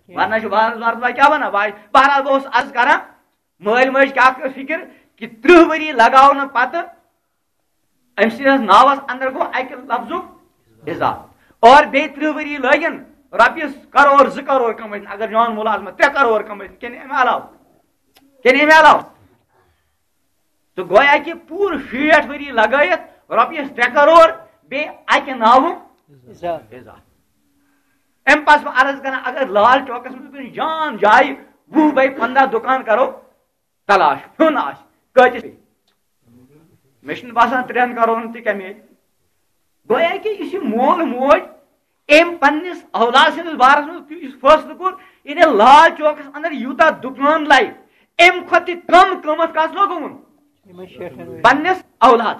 ورنہ چھُ بہرحال، بہرحال کیٛاہ وَنان، باعث، بہرحال بہٕ اوسُس عرض کران، مٲلۍ مٲج کیٛاہ کٔر فِکِر کہِ ترٕٛہ ؤری لگاونہٕ پتہٕ أمۍ سٕنٛدِس ناوَس اَنٛدر گوٚو اَکہِ لفظُک اضافہٕ۔ اور بیٚیہِ ترٕٛہ ؤری لٲگِن رۄپیَس کرور، زٕ کرور کمٲوِتھ، اگر جان مُلازمت ترٛےٚ کرور کمٲوِتھ، کِنہٕ اَمہِ علاوٕ؟ کِنہٕ اَمہِ علاوٕ؟ تہٕ گویا کہِ پوٗرٕ شیٹھ ؤری لگٲیِتھ رۄپیَس ترٛےٚ کرور بیٚیہِ اَکہِ ناوُک اضافہٕ۔ اَمہِ پتہٕ چھُس بہٕ عرض کران، اگر لال چوکس منٛز کُنہِ جان جایہِ وُہ بے پنٛداہ دُکان کرو، تلاش ہیوٚن آسہِ کۭتِس پیٚیہِ؟ مےٚ چھُنہٕ باسان ترٛٮ۪ن کرورن تہِ کمہِ آیہِ۔ گویا کہِ یُس یہِ مول موج أمۍ پننِس اولاد سٕنٛدِس بارس منٛز یُس فٲصلہٕ کوٚر، یعنی لال چوکس اندر یوٗتاہ دُکان لایہِ، اَمہِ کھۄتہٕ تہِ کم قۭمتھ کس لوگُن؟ یِمن شیٹھن ؤرین۔ پننِس اولاد۔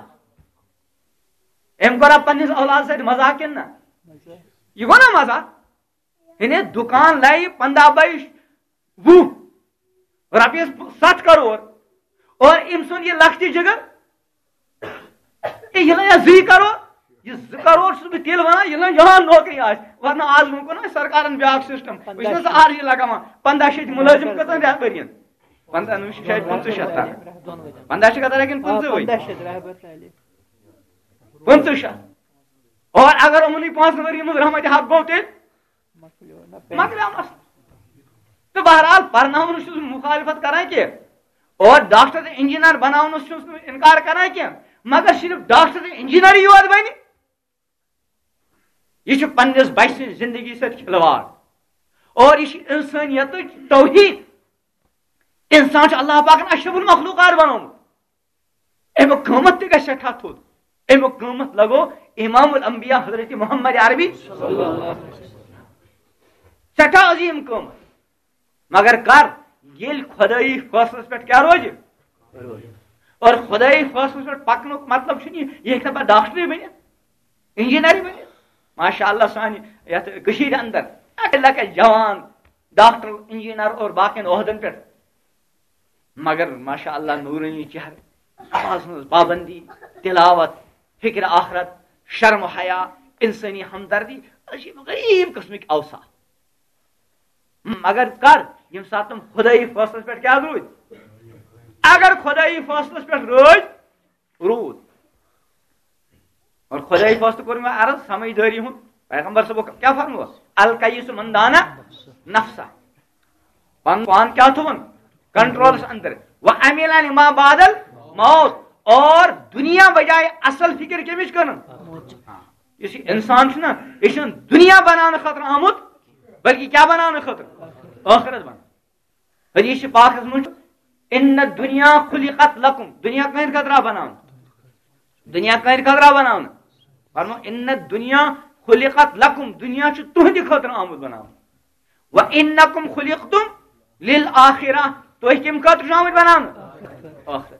أمۍ کوٚرا پننِس اولاد سۭتۍ مزاق کِنہٕ نہ؟ مزاق۔ یہِ گوٚو نا مزاق؟ یعنی دُکان لایہِ پنٛداہ بے وُہ، رۄپیَس ستھ کرور، اور أمۍ سُنٛد یہِ لۄکٹہِ جگر، اے، یہِ لایہِ زٕے کرور، یہِ زٕ کرور چھُس بہٕ تیٚلہِ وَنان، ییٚلہِ نہٕ یِہان نوکری آسہِ، ورنہ آز وۄنۍ کوٚر نہٕ اَسہِ سرکارن بیٛاکھ سسٹم، وٕچھ نہ ژٕ آز یہِ لگاوان، پنٛداہ شیٚتھ مُلٲزِم کٔژَن رٮ۪تہٕ ؤرِین؟ پنٛداہ، نہٕ، یہِ چھُ شاید پٕنٛژٕہ شیٚتھ تام۔ پنٛداہ شیٚتھ کَتھ لگن؟ آ، پٕنٛژٕہ ؤری۔ پنٛداہ شیٚتھ رۄپیہِ۔ پٕنٛژٕہ شیٚتھ۔ اور اگر یِمنٕے پانٛژن ؤرین منٛز رحمت حق گوٚو تیٚلہِ؟ مۄکلیو نہ پیٚیہِ۔ مۄکلیو مسلہٕ۔ تہٕ بہرحال، پرناونس چھُس نہٕ مخالفت کران کینٛہہ، اور ڈاکٹر تہٕ انجینئر بناونس چھُس نہٕ انکار کران کینٛہہ، مگر صرف ڈاکٹر تہٕ انجینئرٕے یوت بنہِ؟ یہِ چھُ پننِس بچہِ سٕنٛزِ زندگی سۭتۍ کھلواڑ، اور یہِ چھُ انسٲنیتٕچ توہین۔ انسان چھُ اللہ پاکن اشرف المخلوقات بنومُت۔ اَمیُک قۭمتھ تہِ گژھِ سٮ۪ٹھاہ تھوٚد۔ اَمیُک قۭمتھ لگو امام الانبیاء حضرت محمد عربی۔ سٮ۪ٹھاہ عظیٖم قۭمتھ۔ مگر کر؟ ییٚلہِ خۄدٲیی فٲصلس پٮ۪ٹھ کیٛاہ روزِ؟ اور خۄدٲیی فٲصلس پٮ۪ٹھ پکنُک مطلب چھُنہٕ یہِ، یہِ ہیٚکہِ نہٕ پتہٕ ڈاکٹرٕے بٔنِتھ، انجینئرٕے بٔنِتھ۔ ماشاء اللہ، سانہِ یتھ کٔشیٖرِ اندر لۄکٕٹۍ لۄکٕٹۍ جوان ڈاکٹر، انجینئر اور باقین عہدن پٮ۪ٹھ۔ مگر ماشاء اللہ، نورانی چہرٕ، نماز ہٕنٛز پابندی، تلاوت، فکر آخرت، شرم و حیا، انسانی ہمدردی، عجیب غریب قسمٕکۍ اوصاف۔ مگر کر؟ ییٚمہِ ساتہٕ تِم خدٲیی فٲصلس پٮ۪ٹھ کیٛاہ روٗدۍ؟ اگر خدٲیی فٲصلس پٮ۪ٹھ روٗدۍ، روٗد۔ اور خدائی فٲصلہٕ کوٚر مےٚ عرض سمجھدٲری ہُنٛد۔ پیغمبر صٲبو کیٛاہ فرموس؟ الکیس من دان نفسہ۔ پنُن پان کیٛاہ تھوٚوُن؟ کنٹرولس اندر۔ و عمل لما بعد الموت۔ اور دنیا بجائے اصل فکر کمِچ کرن؟ یُس یہِ انسان چھُنہ، یہِ چھُنہٕ دنیا بناونہٕ خٲطرٕ آمُت، بلکہِ کیٛاہ بناونہٕ خٲطرٕ؟ ٲخرت بناونہٕ۔ حدیث پاکس منٛز چھُ، "ان الدنیا خلقت لکم"، دنیا کٕہٕنٛدِ خٲطرٕ آو بناونہٕ؟ دنیا کٕہٕنٛدِ خٲطرٕ آو بناونہٕ؟ فرمو، "ان الدنیا خلقت لکم"، دنیا چھُ تُہٕنٛدِ خٲطرٕ آمُت بناونہٕ۔ "و انکم خلقتم للآخرہ"، تُہۍ کَمہِ خٲطرٕ چھِو آمٕتۍ بناونہٕ؟ ٲخرت خٲطرٕ۔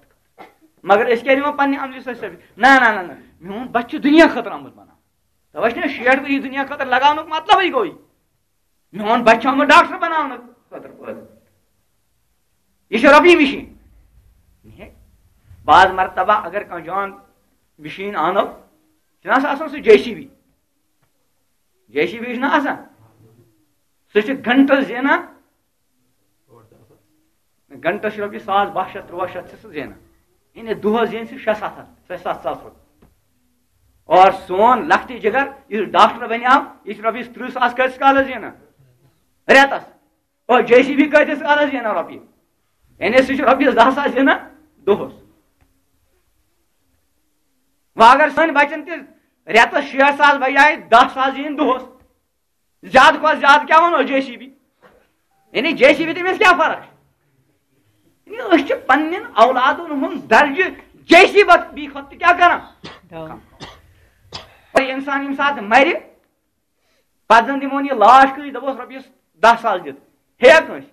مگر أسۍ کیٛازِ دِوان پننہِ عملہِ سۭتۍ ثٲبت؟ نہ، نہ، نہ، نہ، میون بچہٕ چھُ دنیا خٲطرٕ آمُت بناونہٕ۔ توے چھُنہ شیٹھ ؤری دنیا خٲطرٕ لگاونُک مطلبٕے گوٚو یہِ۔ میون بچہ چھُ آمُت ڈاکٹر بناونہٕ خٲطرٕ پٲدٕ۔ یہِ چھِ رۄپیہِ مِشیٖن۔ بعض مرتبہ اگر کانٛہہ جان مِشیٖن اَنو، چھُنہ سُہ آسان سُہ J C B? J C B چھُنہ آسان؟ سُہ چھُ گھنٹس زینان، گھنٹس چھُ رۄپیہِ ساس باہ شیٚتھ، تُرٛواہ شیٚتھ چھُ سُہ زینان۔ یعنی دۄہس زینہِ سُہ شےٚ ستھ ہتھ، شےٚ ستھ ساس رۄپیہِ۔ اور سون لۄکٹہِ جگر یُس ڈاکٹر بنیو، یہِ چھُ رۄپیَس تٕرٛہ ساس کۭتِس کالس زینان؟ رٮ۪تس۔ اور جے سی بی کۭتِس کالس زینان رۄپیہِ؟ یعنی سُہ چھُ رۄپیَس دَہ ساس زینان دۄہس۔ وۄنۍ اگر سٲنۍ بچن تہِ رٮ۪تس شیٹھ ساس بجایہِ دَہ ساس زیٖنۍ دۄہس، زیادٕ کھۄتہٕ زیادٕ کیٛاہ وَنو جے سی بی؟ یعنی جے سی بی تٔمِس کیٛاہ فرق چھِ؟ یعنی أسۍ چھِ پننٮ۪ن اولادن ہُنٛد درجہٕ جے سی بی کھۄتہٕ تہِ کیٛاہ کران؟ ڈاوُن۔ اور انسان ییٚمہِ ساتہٕ مرِ، پتہٕ زن دِمون یہِ لاش کٲنٛسہِ، دپوس رۄپیس دَہ ساس دِتھ، ہیٚیہ کٲنٛسہِ؟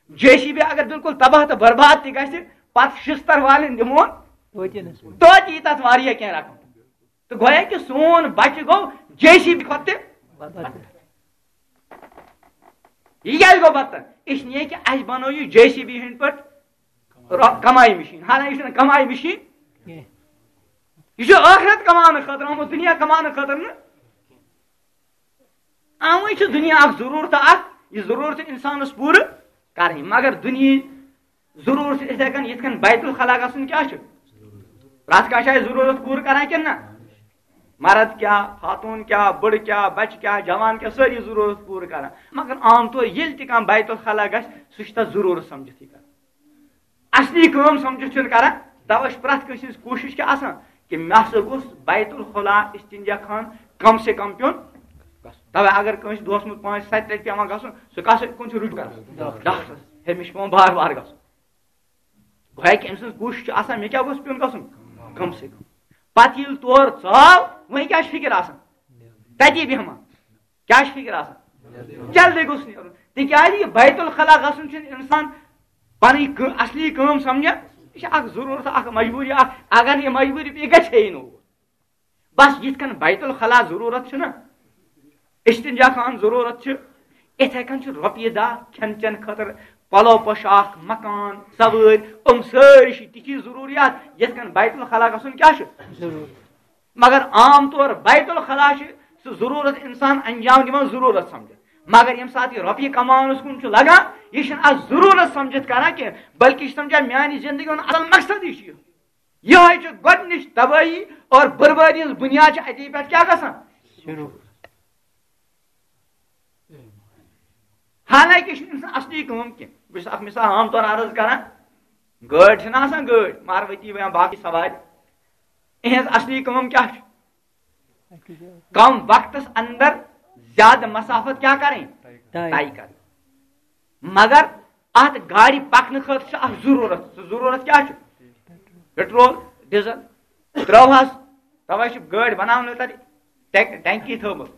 جے سی بی اگر بالکل تباہ تہٕ برباد تہِ گژھِ، پتہٕ شستر والٮ۪ن دِمون توتہِ نہٕ سُہ۔ توتہِ یی تتھ واریاہ کینٛہہ رقم۔ تہٕ گویا کہِ سون بچہِ گوٚو جے سی بی کھۄتہٕ تہِ بدتر۔ یہِ کیٛازِ گوٚو بدتر؟ اس لیے کہِ اسہِ بنوو یہِ جے سی بی ہٕنٛدۍ پٲٹھۍ رو-، کمایہِ مِشیٖن۔ حالانکہ یہِ چھُنہٕ کمایہِ مِشیٖن، کینٛہہ۔ یہِ چھُ ٲخرت کماونہٕ خٲطرٕ آمُت، دُنیا کماونہٕ خٲطرٕ نہٕ۔ اوے چھُ دُنیا اکھ ضروٗرت اکھ، یہِ ضروٗرت چھِ انسانس پوٗرٕ کرٕنۍ، مگر دُنیہٕچ ضروٗرت چھِ یِتھے کٔنۍ یِتھ کٔنۍ بیت الخلا گژھُن کیٛاہ چھُ؟ پرٛٮ۪تھ کانٛہہ چھا یہِ ضروٗرت پوٗرٕ کران کِنہٕ نہ؟ مرد کیٛاہ، خاتوٗن کیٛاہ، بٕڑٕ کیٛاہ، بچہِ کیٛاہ، جوان کیٛاہ، سٲری ضروٗرت پوٗرٕ کران۔ مگر عام طور ییٚلہِ تہِ کانٛہہ بیت الخلا گژھِ، سُہ چھُ تتھ ضروٗرت سمجھتھٕے کران۔ اصلی کٲم سمجھتھ چھُنہٕ کران۔ توے چھُ پرٛٮ۪تھ کٲنٛسہِ ہٕنٛز کوٗشش کیٛاہ آسان کہِ مےٚ ہسا گوٚژھ بیت الخلا استنجا خان کم سے کم پیوٚن گژھُن۔ توے اگر کٲنٛسہِ دۄہس منٛز پانٛژھ ستہِ لٹہِ پٮ۪وان گژھُن، سُہ کس کُن چھُ رُجوع کران؟ ڈاکٹرس۔ ہے، مےٚ چھُ پٮ۪وان بار بار گژھُن۔ گویا کہِ أمۍ سٕنٛز کوٗشِش چھِ آسان، مےٚ کیٛاہ گوٚژھ پیوٚن گژھُن؟ کم سے کم۔ پتہٕ ییٚلہِ تور ژاو، وۄنۍ کیٛاہ چھِ فِکر آسان؟ تتی بیٚہمہٕ۔ کیٛاہ چھِ فِکر آسان؟ جلدی گوٚژھ نیرُن۔ تِکیٛازِ یہِ بیت الخلا گژھُن چھُنہٕ اِنسان پنٕنۍ کٲ-، اصلی کٲم سمجھان۔ یہِ چھِ اکھ ضروٗرت، اکھ مجبوٗری، اکھ، اگر نہٕ یہِ مجبوٗری پیٚیہِ، گژھِ ہے نہٕ اور۔ بس یِتھ کٔنۍ بیت الخلا ضروٗرت چھُنہ، استنجا خان ضروٗرت چھُ، یِتھے کٔنۍ چھُ رۄپیہِ دہ کھٮ۪ن چٮ۪ن خٲطرٕ، پلو پوشاک، مکان، سوٲرۍ، یِم سٲری چھِ تِتھی ضروٗریات، یِتھ کٔنۍ بیت الخلا گژھُن کیٛاہ چھُ؟ ضروٗرت۔ مگر عام طور بیت الخلا چھُ سُہ ضروٗرت اِنسان انجام دِوان، ضروٗرت سمجھان۔ مگر ییٚمہِ ساتہٕ یہِ رۄپیہِ کماونس کُن چھُ لگان، یہِ چھُنہٕ اتھ ضروٗرت سمجھتھ کران کینٛہہ، بلکہِ یہِ چھُ سمجھان میانہِ زندگی ہُنٛد اصل مقصد یہِ چھُ یہِ۔ یِہوٚے چھُ گۄڈٕنِچ تبٲہی اور بربٲدی ہٕنٛز بُنیاد چھِ اتی پٮ۪ٹھ کیٛاہ گژھان؟ شروٗع۔ حالانکہ یہِ چھُنہٕ اِنسان اصلی کٲم کینٛہہ۔ بہٕ چھُس اکھ مثال عام طور عرض کران، گٲڑۍ چھِنہٕ آسان، گٲڑۍ، ماروتی یا باقٕے سوارِ، یِہٕنٛز اصلی کٲم کیٛاہ چھِ؟ کم وقتس اندر زیادٕ مسافت کیٛاہ کرٕنۍ؟ طے۔ طے کرٕنۍ۔ مگر اتھ گاڑِ پکنہٕ خٲطرٕ چھِ اکھ ضروٗرت۔ سُہ ضروٗرت کیٛاہ چھُ؟ Petrol, diesel. ترٛٲوہَس، توے چھِ گٲڑۍ بناونہٕ تتہِ ٹیک-، ٹینکی تھٲومٕژ۔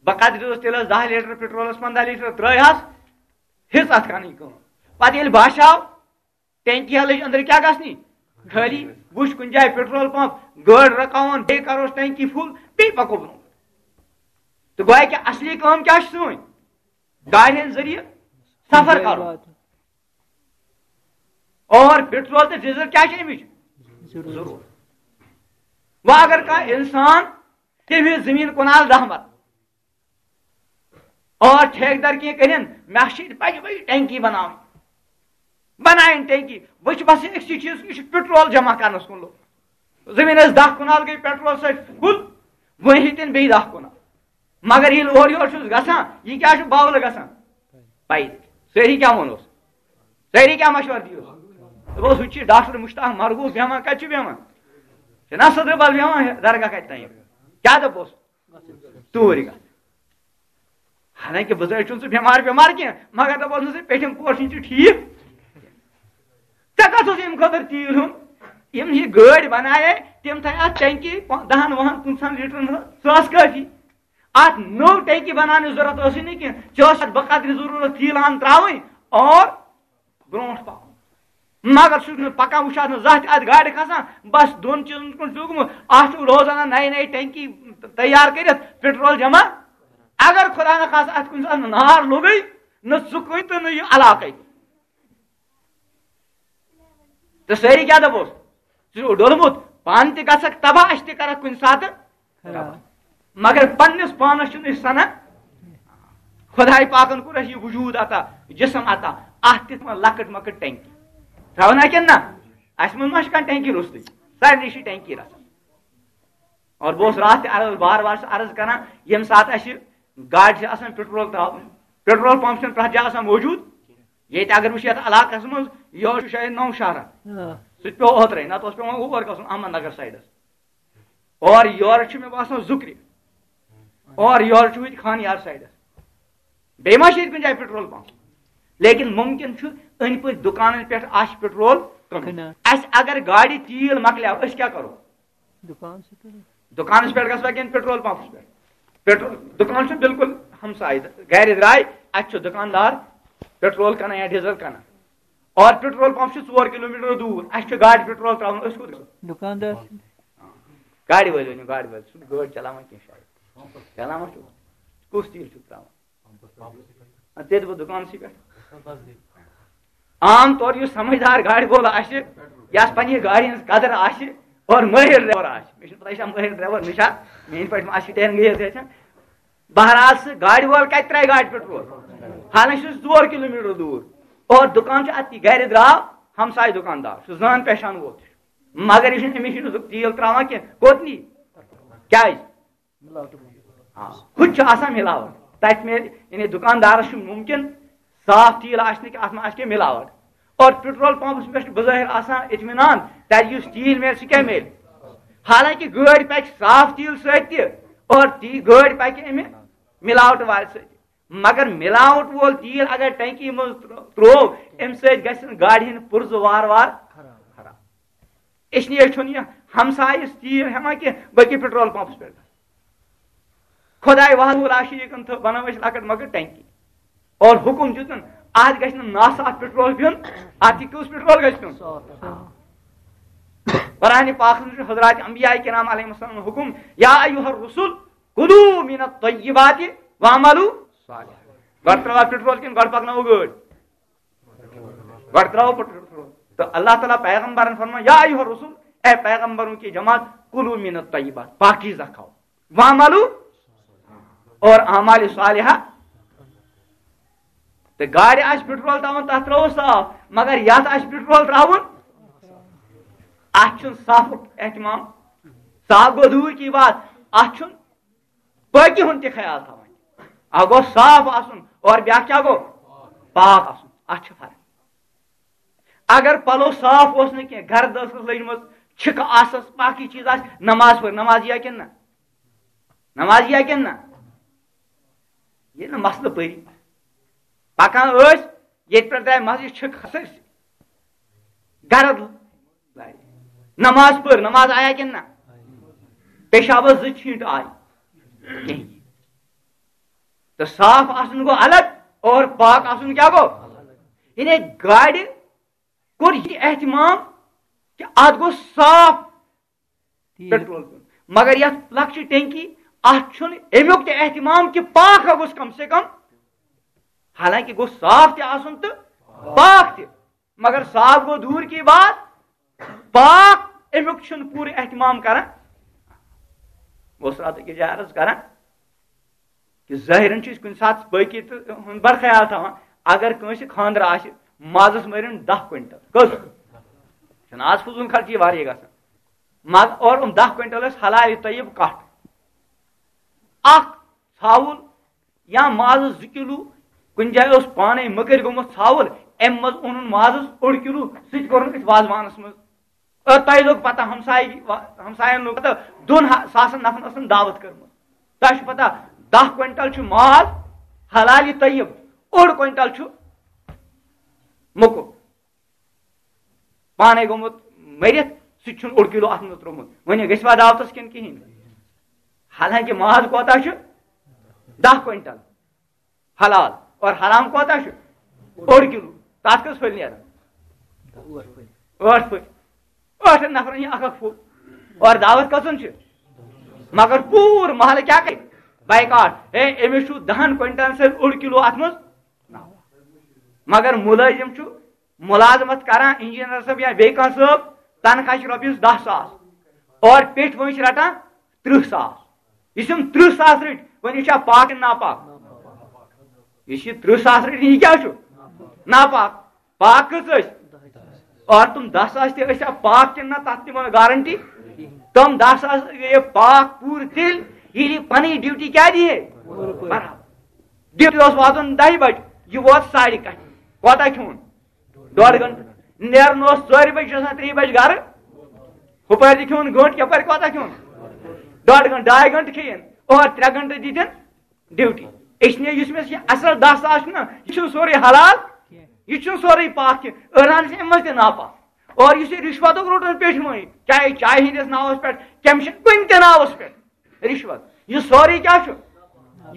بقدر دِژ تیلس دَہ لیٹر، پیٹرولس پنٛداہ لیٹر ترٛٲوہَس، ہیٚژ اتھ کرٕنۍ کٲم۔ پتہٕ ییٚلہِ باسیو ٹینکی ہا لٔج أنٛدرٕ کیٛاہ گژھنہِ؟ خٲلی۔ وٕچھ کُنہِ جایہِ پیٹرول پمپ، گٲڑۍ رُکاوون، بیٚیہِ کروس ٹینکی فُل، بیٚیہِ پکو برونٛٹھ۔ تہٕ گویا کہِ اصلی کٲم کیٛاہ چھِ سٲنۍ؟ گاڑِ ہٕنٛدۍ ذٔریعہٕ سفر کرُن۔ اور پیٹرول تہٕ ڈیزل کیٛاہ چھِ اَمِچ؟ ضروٗرت۔ وۄنۍ اگر کانٛہہ انسان تٔمۍ ہیٚژ زٔمیٖن کنال دَہ مرلہٕ، اور ٹھیکدر کینٛہہ کٔرِن، مےٚ چھِ ییٚتہِ بجہِ بجہِ ٹینکی بناوٕنۍ۔ بناوٕنۍ ٹینکی۔ وۄنۍ چھِ بس أکسٕے چیٖز، یہِ چھُ پیٹرول جمع کرنس کُن لوٚگ۔ زٔمیٖنس دَہ کنال گٔے پیٹرول سۭتۍ فُل، وۄنۍ ہیٚتِن بیٚیہِ دَہ کنال۔ مگر ییٚلہِ اورٕ یورٕ چھُس گژھان، یہِ کیٛاہ چھُ باولہٕ گژھان؟ پَیدٔلۍ۔ سٲری کیٛاہ ووٚنُس؟ سٲری کیٛاہ مشورٕ دِیِو؟ دوٚپُس، ہُہ چھُ ڈاکٹر مشتاق مرغوب بیٚہوان، کَتہِ چھُ بیٚہوان؟ چھُنہ صدرٕ بل بیٚہوان درگاہ کَتہِ تام؟ کیٛاہ دوٚپُس؟ توٗرۍ گژھ۔ حالانکہ بہٕ زٲے چھُنہٕ سُہ بٮ۪مار وٮ۪مار کینٛہہ، مگر دَپان اوسُس، پیٚٹھِم پورشن چھُ ٹھیٖک۔ ژےٚ کَتھ اوس اَمہِ خٲطرٕ تیٖل ہیوٚن؟ یِم یہِ گٲڑۍ بَنایے، تِم تھایہِ اَتھ ٹینکی پا-، دَہَن وُہَن پٕنٛژٕہَن لیٖٹرَن ہٕنٛز، سۄ ٲس کٲفی۔ اَتھ نٔو ٹینکی بَناونٕچ ضوٚرَتھ ٲسٕے نہٕ کینٛہہ۔ ژےٚ اوس اَتھ بقدرِ ضروٗرت تیٖل ہَن ترٛاوٕنۍ اور برونٛٹھ پَکُن۔ مگر سُہ چھُنہٕ پکان، وٕچھ اَتھ نہٕ زانٛہہ تہِ اَتھ گاڑِ کھسان، بس دۄن چیٖزن کُن چھُ لوٚگمُت۔ اَتھ چھُ روزانہ نَیہِ نَیہِ ٹینکی تیار کٔرِتھ پیٹرول جمع۔ اگر خدا نہ خاص اتھ کُنہِ ساتہٕ نار لوٚگے، نہ ژٕ کُنہِ تہٕ نہ یہِ علاقے۔ تہٕ سٲری کیٛاہ دپوس؟ ژٕ چھُکھ ڈوٚلمُت، پانہٕ تہِ گژھکھ تباہ، اَسہِ تہِ کرکھ کُنہِ ساتہٕ۔ ہاں۔ مگر پننِس پانس چھُنہٕ أسۍ سنان۔ خداے پاکن کوٚر اَسہِ یہِ وجوٗد عطا، جسم عطا، اتھ تہِ تھاوان لۄکٕٹ مۄکٕٹ ٹینکی۔ تھاوان ہا کِنہٕ نہ؟ اَسہِ منٛز ما چھِ کانٛہہ ٹینکی روٚستُے؟ سارنٕے چھِ ٹینکی رژھا۔ اور بہٕ اوسُس راتھ تہِ عرض، بار بار چھُس عرض کران، ییٚمہِ ساتہٕ اَسہِ گاڑِ چھِ آسان پیٹرول ترٛاوُن، پیٹرول پمپ چھُنہٕ پرٛٮ۪تھ جایہِ آسان موجوٗد۔ ییٚتہِ اگر وٕچھِ یَتھ علاقس منٛز، یہِ اوس شاید نوشہرہ، آ۔ سُہ تہِ پیوٚو اوترَے، نتہٕ اوس پٮ۪وان اور گژھُن احمد نگر سایڈس۔ اور یورٕ چھُ مےٚ باسان زُکرِ، اور یورٕ چھُ ہُتہِ خان یار سایڈس۔ بیٚیہِ ما چھِ ییٚتہِ کُنہِ جایہِ پیٹرول پمپ؟ لیکن ممکن چھُ أنٛدۍ پٔکۍ دُکانن پٮ۪ٹھ آسہِ پیٹرول کٕنُن۔ کٕنان۔ اَسہِ اگر گاڑِ تیٖل مۄکلیو، أسۍ کیٛاہ کرو؟ دُکان چھُ تیٚلہِ۔ دُکانس پٮ۪ٹھ گژھوا کِنہٕ پیٹرول پمپس پٮ۪ٹھ؟ پیٹرول دُکان چھُ بالکل ہمسایہِ، گرِ درٛاے، اَتہِ چھُ دُکاندار پیٹرول کٕنان یا ڈیزل کٕنان۔ اور پیٹرول پمپ چھُ ژور کلوٗمیٹر دوٗر، اَسہِ چھُ گاڑِ پیٹرول ترٛاوُن، أسۍ کوٚت گژھو؟ دُکاندار۔ گاڑِ وٲلۍ ؤنِو، گاڑِ وٲلۍ، سُہ چھُنہٕ گٲڑۍ چلاوان کینٛہہ شاید۔ چلاوان چھُ؟ کُس تیٖل چھُکھ ترٛاوان؟ اَدٕ ژےٚ دِمو دُکانسٕے پٮ۪ٹھ۔ عام طور یُس سمجھدار گاڑِ وول آسہِ، یَس پننہِ گاڑِ ہٕنٛز قدر آسہِ اور مٲہِر ڈرایور آسہِ، مےٚ چھُنہٕ پتہ یہِ چھا مٲہِر ڈرایور، مےٚ چھا، میٛٲنۍ پٲٹھۍ ما آسہِ سٹیرنگ ہیٚتھ ہیٚچھان۔ بہرحال سُہ گاڑِ وول کتہِ ترٛایہِ گاڑِ پیٹرول؟ حالانکہ چھُ ژور کلوٗمیٹر دوٗر اور دُکان چھُ اَتی گرِ درٛاو، ہمسایہِ دُکاندار چھُ، زان پہچان وول چھُ، مگر یہِ چھُنہٕ، أمِس چھُنہٕ سُہ تیٖل ترٛاوان کینٛہہ۔ کوٚت نی؟ کیٛازِ؟ آ، ہُتہِ چھُ آسان مِلاوٹ۔ تَتہِ میلہِ، یعنی دُکاندارَس چھُ مُمکِن صاف تیٖل آسہِ نہٕ کینٛہہ، اَتھ منٛز آسہِ کینٛہہ مِلاوٹ۔ اور پیٹرول پمپس پٮ۪ٹھ چھُ بظٲہِر آسان اطمینان، تَتہِ یُس تیٖل میلہِ، سُہ کیٛاہ میلہِ؟ حالانکہِ گٲڑۍ پَکہِ صاف تیٖل سۭتۍ تہِ، اور تی-، گٲڑۍ پَکہِ اَمہِ مِلاوٹ والہِ سۭتۍ۔ مگر مِلاوٹ وول تیٖل اگر ٹینکی منٛز ترٛو-، ترٛوو، اَمہِ سۭتۍ گژھِ نہٕ گاڑِ ہٕنٛدۍ پُرزٕ وارٕ وارٕ خراب۔ اس لیے چھُنہٕ یہِ ہمسایَس تیٖل ہٮ۪وان کینٛہہ، بلکہِ پیٹرول پمپس پٮ۪ٹھ۔ خداے وحدہ لا شریٖکن تھٲو، بنٲو اَسہِ لۄکٕٹ مۄکٕٹ ٹینکی اور حُکُم دیُتُن، اَتھ گژھِ نہٕ ناصاف پیٹرول پیوٚن، اَتھ یہِ کُس پیٹرول گژھِ پیوٚن؟ قرآن پاکس منٛز چھُ حضرات انبیاء کرام علیہ السلام حُکُم، یا ایھا الرسل کلوا من الطیبات واعملوا صالحا۔ گۄڈٕ ترٛاوو پیٹرول کِنہٕ گۄڈٕ پکناوو گٲڑۍ؟ گۄڈٕ ترٛاوو پیٹرول۔ تہٕ اللہ تعالیٰ پیغمبرن فرموو، یا ایھا الرسل، اے پیغمبروں کی جماعت، کلوا من الطیبات، پاکیزہ کھاو، واعملوا، اور اعمال صالحہ۔ تہٕ گاڑِ آسہِ پیٹرول ترٛاوُن، تَتھ ترٛاوو صاف، مگر یَتھ آسہِ پیٹرول ترٛاوُن، اَتھ چھُنہٕ صافُک اہتمام۔ صاف گوٚو دوٗر کی بات، اَتھ چھُنہٕ پٲکی ہُنٛد تہِ خیال تھاوان۔ اَکھ گوٚو صاف آسُن اور بیٛاکھ کیٛاہ گوٚو؟ پاک آسُن۔ اَتھ چھِ فرق۔ اگر پَلو صاف اوس نہٕ کینٛہہ، گرد ٲسٕس لٔجمٕژ، چھِکہٕ آسَس، باقٕے چیٖز آسہِ، نماز پٔر، نماز یِیا کِنہٕ نہ؟ نماز یِیا کِنہٕ نہ؟ ییٚلہِ نہٕ مسلہٕ پٔری۔ پَکان ٲسۍ، ییٚتہِ پٮ۪ٹھ درٛاے مسجد چھِکہٕ سٲرسٕے۔ گرد لارِ۔ نماز پٔر، نماز آیا کِنہٕ نہ؟ پیشابس زٕ چھینٹ آے۔ کِہیٖنۍ۔ تہٕ صاف آسُن گوٚو الگ اور پاک آسُن کیٛاہ گوٚو؟ یعنی گاڑِ کوٚر یہِ اہتمام کہِ اتھ گوٚو صاف تیٖل۔ پیٹرول پیوٚن۔ مگر یتھ لۄکچہِ ٹینکی، اتھ چھُنہٕ امیُک تہِ اہتمام کہِ پاک ہا گوٚژھ کم سے کم، حالانکہِ گوٚژھ صاف تہِ آسُن تہٕ پاک تہِ۔ مگر صاف گوٚو دوٗر کی بات، پاک امیُک چھُنہٕ پوٗرٕ اہتمام کران۔ بہٕ اوسُس راتہٕ أکِس جایہِ عرض کران کہِ ظٲہِرن چھِ أسۍ کُنہِ ساتہٕ پٲکی تہٕ ہُنٛد بڑٕ خیال تھاوان۔ اگر کٲنٛسہِ خانٛدر آسہِ، مازَس مٲرِن دَہ کوینٹل۔ کٔژ؟ چھُنہٕ آز فضوٗل خرچی واریاہ گژھان۔ ماز، اور یِم دَہ کوینٹل ٲسۍ حلال طیب کَٹھ۔ اکھ ژھاوُل یا مازَس زٕ کِلوٗ، کُنہِ جایہِ اوس پانَے مٔکٕرۍ گوٚمُت ژھاوُل، اَمہِ منٛز اوٚنُن مازَس اوٚڑ کِلوٗ، سُہ تہِ کوٚرُن أتھۍ وازوانَس منٛز۔ اور تۄہہِ لوٚگ پَتہ، ہمسایہِ، ہمسایَن لوٚگ پَتہ، دۄن ہا-، ساسَن نفرَن ٲسٕن دعوت کٔرمٕژ۔ تۄہہِ چھُ پَتہ، دَہ کوینٹل چھُ ماز حلالہِ طیب، اوٚڑ کوینٹل چھُ موٚکُر۔ پانے گوٚمُت مٔرِتھ، سُہ تہِ چھُنہٕ اوٚڑ کِلوٗ اَتھ منٛز ترٛوومُت۔ وۄنۍ گژھِ وا دعوتَس کِنہٕ کِہیٖنۍ؟ حالانکہِ ماز کوتاہ چھُ؟ دَہ کوینٹل حلال، اور حرام کوتاہ چھُ؟ اوٚڑ کِلوٗ۔ تَتھ کٔژ پھٔلۍ نیرَن؟ ٲٹھ پھٔلۍ۔ ٲٹھَن نفرَن یہِ اَکھ اَکھ پھوٚل۔ اور دعوت کٔژَن چھِ؟ مگر پوٗرٕ محلہٕ کیٛاہ کَرِ؟ بایکاٹ، ہے، أمِس چھُ دَہَن کوینٹلن سۭتۍ اوٚڑ کِلوٗ اَتھ منٛز۔ مگر مُلٲزِم چھُ مُلازمت کران، انجینئر صٲب یا بیٚیہِ کانٛہہ صٲب، تنخواہ چھِ رۄپیَس دَہ ساس، اور پیٚٹھۍ وٲنٛسہِ رَٹان تٕرٛہ ساس۔ یُس یِم تٕرٛہ ساس رٔٹۍ، وۄنۍ یہِ چھا پاک کِنہٕ ناپاک؟ یُس یہِ تٕرٛہ ساس رٔٹۍ، یہِ کیٛاہ چھُ؟ ناپاک۔ پاک کٔژ ٲسۍ؟ اور تِم دَہ ساس تہِ ٲسیا پاک کِنہٕ نہ، تَتھ تہِ ما گارنٹی؟ تِم دَہ ساس گٔیے پاک پوٗرٕ تیٚلہِ، ییٚلہِ یہِ پَنٕنۍ ڈیوٹی کیٛاہ دِیہِ؟ برابر۔ ڈیوٹی اوس واتُن دَہہِ بَجہِ، یہِ ووت ساڑِ کَہہِ۔ کوتاہ کھیوٚن؟ ڈۄڈ گھنٹہٕ۔ نیرُن اوس ژورِ بَجہِ، چھُ آسان ترٛیٚیہِ بَجہِ گَرٕ۔ ہُپٲرۍ تہِ کھیوٚن گھنٹہٕ، یَپٲرۍ کوتاہ کھیوٚن؟ ڈۄڈ گھنٹہٕ، ڈاے گھنٹہٕ کھیٚیِن۔ اور ترٛےٚ گھنٹہٕ دِتِن ڈیوٹی۔ اس لیے یُس مےٚ یہِ اصل دَہ ساس چھُنہ، یہِ چھُنہٕ سورُے حلال، یہِ چھُنہٕ سورُے پاک کینٛہہ۔ أڑہَن چھِ اَمہِ منٛز تہِ ناپاک۔ اور یُس یہِ رِشوَتُک روٚٹُن پیٚٹھۍ مٲنۍ، چاہے چایہِ ہِنٛدِس ناوَس پٮ۪ٹھ، کیٚمہِ چھِ کُنہِ تہِ ناوَس پٮ۪ٹھ رِشوَت۔ یہِ سورُے کیٛاہ چھُ؟